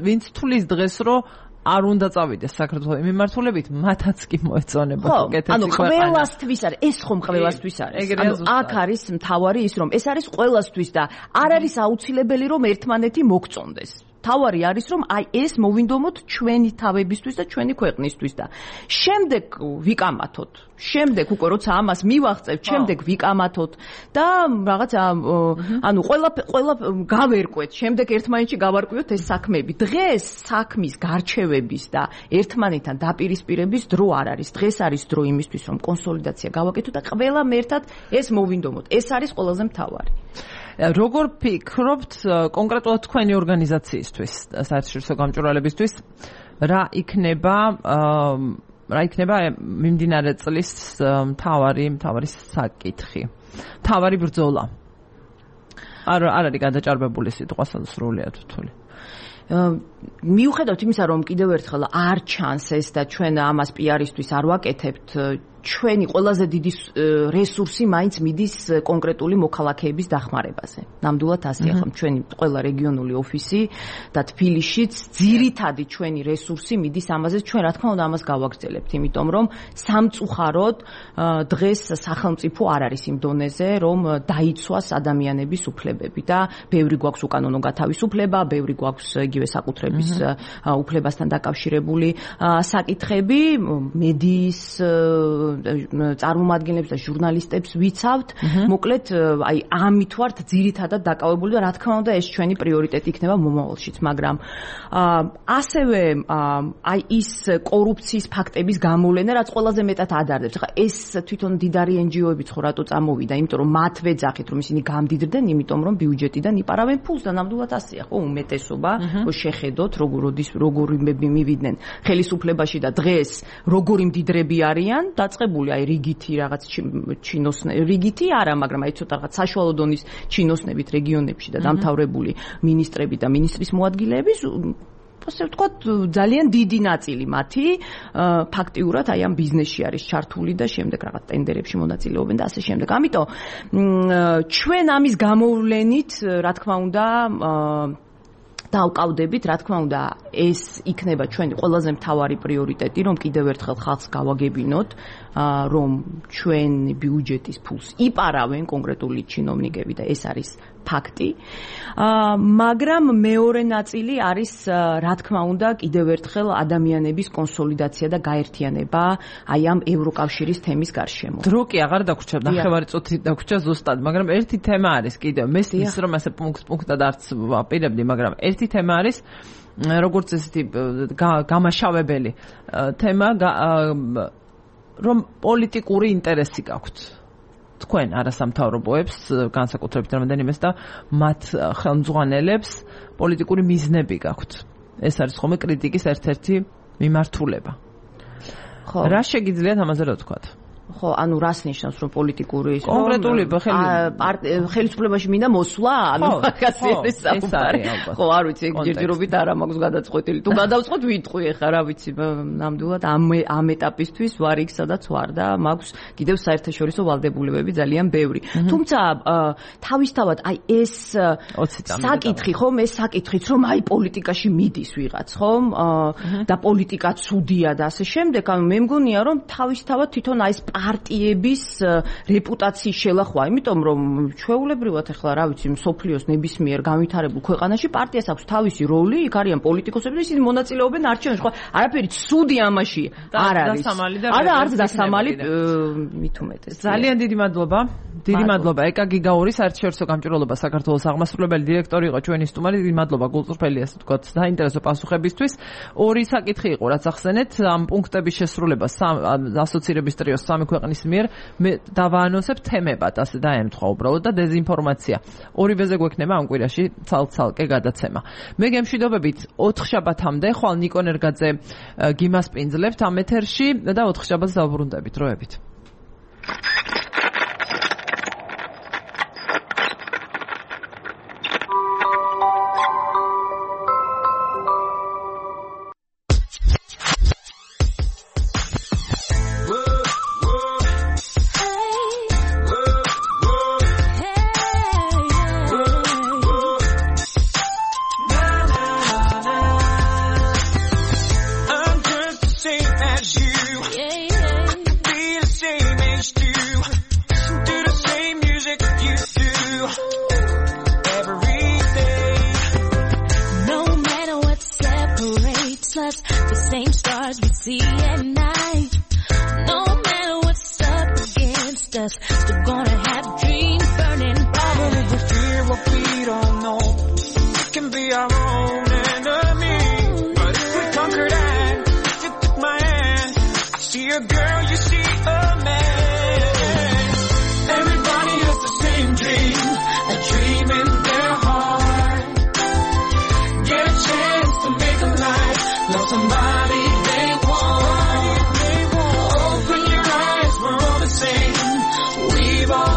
ვინც თulis დღეს რომ არ უნდა წავიდეს საქართველოს მიმართულებით, მათაც კი მოეწონება უკეთესი ანუ ყველასთვის არის, ეს ხომ ყველასთვის არის. ანუ აქ არის მთავარი ის, რომ ეს არის ყველასთვის და არ არის აუცილებელი, რომ ერთმანეთი მოგწონდეს. თავარი არის რომ აი ეს მოვინდომოთ ჩვენი თავებისთვის და ჩვენი ქვეყნისთვის და შემდეგ ვიკამათოთ. შემდეგ უკვე როცა ამას მივაღწევთ, შემდეგ ვიკამათოთ და რაღაც ანუ ყველა გავერკვეთ, შემდეგ ერთმანეთში გავარკვიოთ ეს საქმეები. დღეს საქმის გარჩევების და ერთმანეთთან დაპირისპირების დრო არ არის. დღეს არის დრო იმისთვის, რომ კონსოლიდაცია გავაკეთოთ და ყველამ ერთად ეს მოვინდომოთ. ეს არის ყველაზე მთავარი. როგორ ფიქრობთ კონკრეტულად თქვენი ორგანიზაციისთვის, საერთაშორისო გამჭვირვალებისთვის, რა იქნება მიმდინარე წლის მთავარი საკითხი, მთავარი ბრძოლა? არ არის გადაჭარბებული სიტყვა სრულიად რთული. მიუხედავად იმისა, რომ კიდევ ერთხელ არ ჩანს ეს და ჩვენ ამას პიარისთვის არ ვაკეთებთ, ჩვენი ყველაზე დიდი რესურსი მაინც მიდის კონკრეტული მოქალაქეების დახმარებაზე. ნამდვილად ასეა ხომ ჩვენი ყველა რეგიონული ოფისი და თბილისშიც ძირითადი ჩვენი რესურსი მიდის ამაზე. ჩვენ რა თქმა უნდა ამას გავაგრძელებთ, იმიტომ რომ სამწუხაროდ დღეს სახელმწიფო არ არის იმ დონეზე, რომ დაიცვას ადამიანების უფლებები და ბევრი გვაქვს უკანონო გათავისუფლება, ბევრი გვაქვს იგივე საკუთრების უფლებასთან დაკავშირებული საკითხები, მედიის წარმომადგენლებს და ჟურნალისტებს ვიცავთ. მოკლედ, აი ამით ვართ ძირითადად დაკავებული და რა თქმა უნდა ეს ჩვენი პრიორიტეტი იქნება მომავალშიც, მაგრამ ასევე აი ის კორუფციის ფაქტების გამოვლენა, რაც ყველაზე მეტად ადარდებს. ხა ეს თვითონ დიდარი NGO-ებიც ხო რატო წამოვიდა, იმიტომ რომ მათ ვეძახით, რომ ისინი გამდიდრდნენ, იმიტომ რომ ბიუჯეტიდან იპარავენ ფულს და ნამდვილად ასეა, ხო, უმეტესობა, ხო შეხედოთ, როგორი მივიდნენ ხელისუფლებაში და დღეს როგორი მდიდრები არიან, დაწყებით დაწყებული აი რიგითი რაღაც რიგითი არა, მაგრამ აი ცოტა რაღაც საშუალო დონის ჩინოსნებით რეგიონებში და დამთავრებული მინისტრები და მინისტრის მოადგილეების ასე ვთქვათ, ძალიან დიდი ნაწილი მათი ფაქტიურად აი ამ ბიზნესში არის ჩართული და შემდეგ რაღაც ტენდერებში მონაწილეობენ და ასე შემდეგ. ამიტომ ჩვენ ამის გამოვლენით, რა თქმა უნდა, დავყავდებით, რა თქმა უნდა, ეს იქნება ჩვენი ყველაზე მთავარი პრიორიტეტი, რომ კიდევ ერთხელ ხალხს გავაგებინოთ, რომ ჩვენი ბიუჯეტის ფულს იპარავენ კონკრეტული ჩინოვნიკები და ეს არის ფაქტი. მაგრამ მეორე ნაწილი არის, რა თქმა უნდა, კიდევ ერთხელ ადამიანების კონსოლიდაცია და გაერთიანება აი ამ ევროკავშირის თემის გარშემო. დრო კი აღარ დაგვრჩა, ნახევარი წუთი დაგვრჩა ზუსტად, მაგრამ ერთი თემა არის კიდევ. მესმის რომ ასე პუნქტად არც ვაპირებდი, მაგრამ ერთი თემა არის, როგორც ესეთი გამაშავებელი თემა, რომ პოლიტიკური ინტერესი გაქვთ. თქვენ არასამთავრობოებს, განსაკუთრებით რამდენიმეს და მათ ხელმძღვანელებს პოლიტიკური მიზნები გაქვთ. ეს არის ხოლმე კრიტიკის ერთ-ერთი მიმართულება. ხო. რა შეგიძლიათ ამაზე რა ვთქვათ? ხო, ანუ რას ნიშნავს რომ პოლიტიკური კონკრეტული ხელისუფლებაში მინდა მოსვლა, ანუ მაგასი არის საუბარი. ხო, არ ვიცი, ჯერჯერობით არა მაქვს გადაწყვეტილი. თუ გადავწყვეტ ვიტყვი ახლა, რა ვიცი, ნამდვილად ამ ეტაპისთვის ვარ იქ, სადაც ვარ და მაქვს კიდევ საერთაშორისო ვალდებულებები ძალიან ბევრი. თუმცა თავისთავად აი ეს საკითხი, ხომ, ეს საკითხიც რომ აი პოლიტიკაში მიდის ვიღაც, ხომ? და პოლიტიკა ცუდია და ასე შემდეგ, ანუ მე მგონია რომ თავისთავად თვითონ აი ეს პარტიების რეპუტაციის შელახვა, იმიტომ რომ ჩვეულებრივად ახლა რა ვიცი, მსოფლიოს ნებისმიერ განვითარებულ ქვეყანაში პარტიას აქვს თავისი როლი, იქ არიან პოლიტიკოსები და ისინი მონაწილეობენ არჩევნებში. ხო, არაფერი ცუდი ამაში არ არის. არა, არც დასამალი მით უმეტეს. ძალიან დიდი მადლობა. დიდი მადლობა ეკა გიგაური, საერთაშორისო გამჭვირვალობა საქართველოს აღმასრულებელი დირექტორი იყო ჩვენი სტუმარი. დიდი მადლობა გულწრფელი ასე ვთქვათ საინტერესო პასუხებისთვის. ორი საკითხი იყო, რაც ახსენეთ, ამ პუნქტების შესრულება ასოცირების ტრიოს სამი ქვეყნის მიერ მე დავაანონსებ თემებად, ასე დაემთხვა უბრალოდ და დეზინფორმაცია. ორივეზე გვექნება ამ კვირაში ცალ-ცალკე გადაცემა. მე გემშვიდობებით 4 შაბათამდე ხვალ ნიკო ნერგაძე გიმასპინძლებთ ამ ეთერში და 4 შაბათს დავბრუნდებით დროებით. Somebody they want. Open your eyes, we're all the same. We've all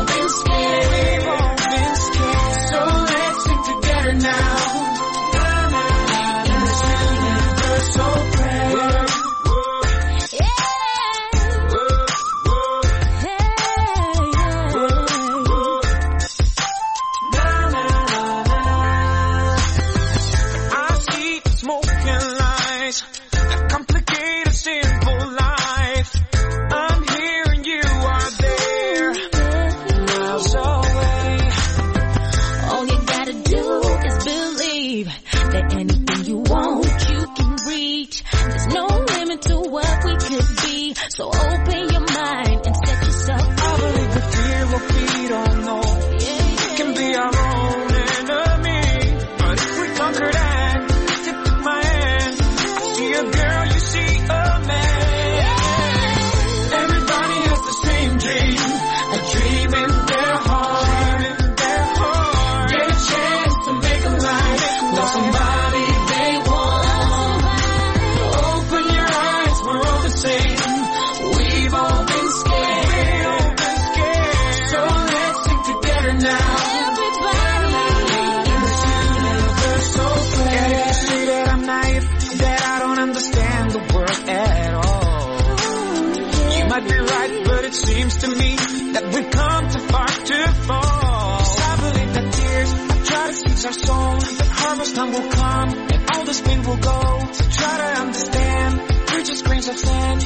seems to me that we've come too far to fall. I believe that tears try to squeeze our soul. That harvest time will come and all this pain will go. So try to understand, we're just grains of sand.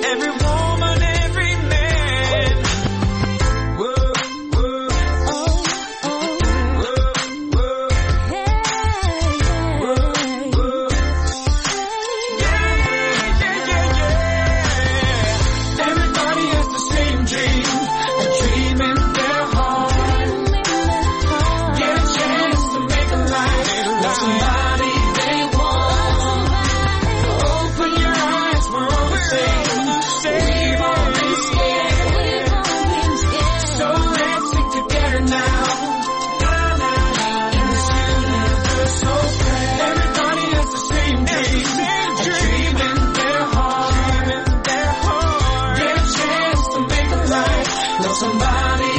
Every woman, every man. Whoa, whoa. Oh, oh. Whoa, whoa. Hey, whoa, whoa. Yeah, yeah, yeah, yeah. Everybody has the same dream, a dream in their heart. Get a chance to make a life, love somebody they want. Open your eyes, we're all the same. We've all been scared, so let's sing together now. In this universe so grand, everybody has the same dream, a dream in their heart. Get a chance to make a life, love somebody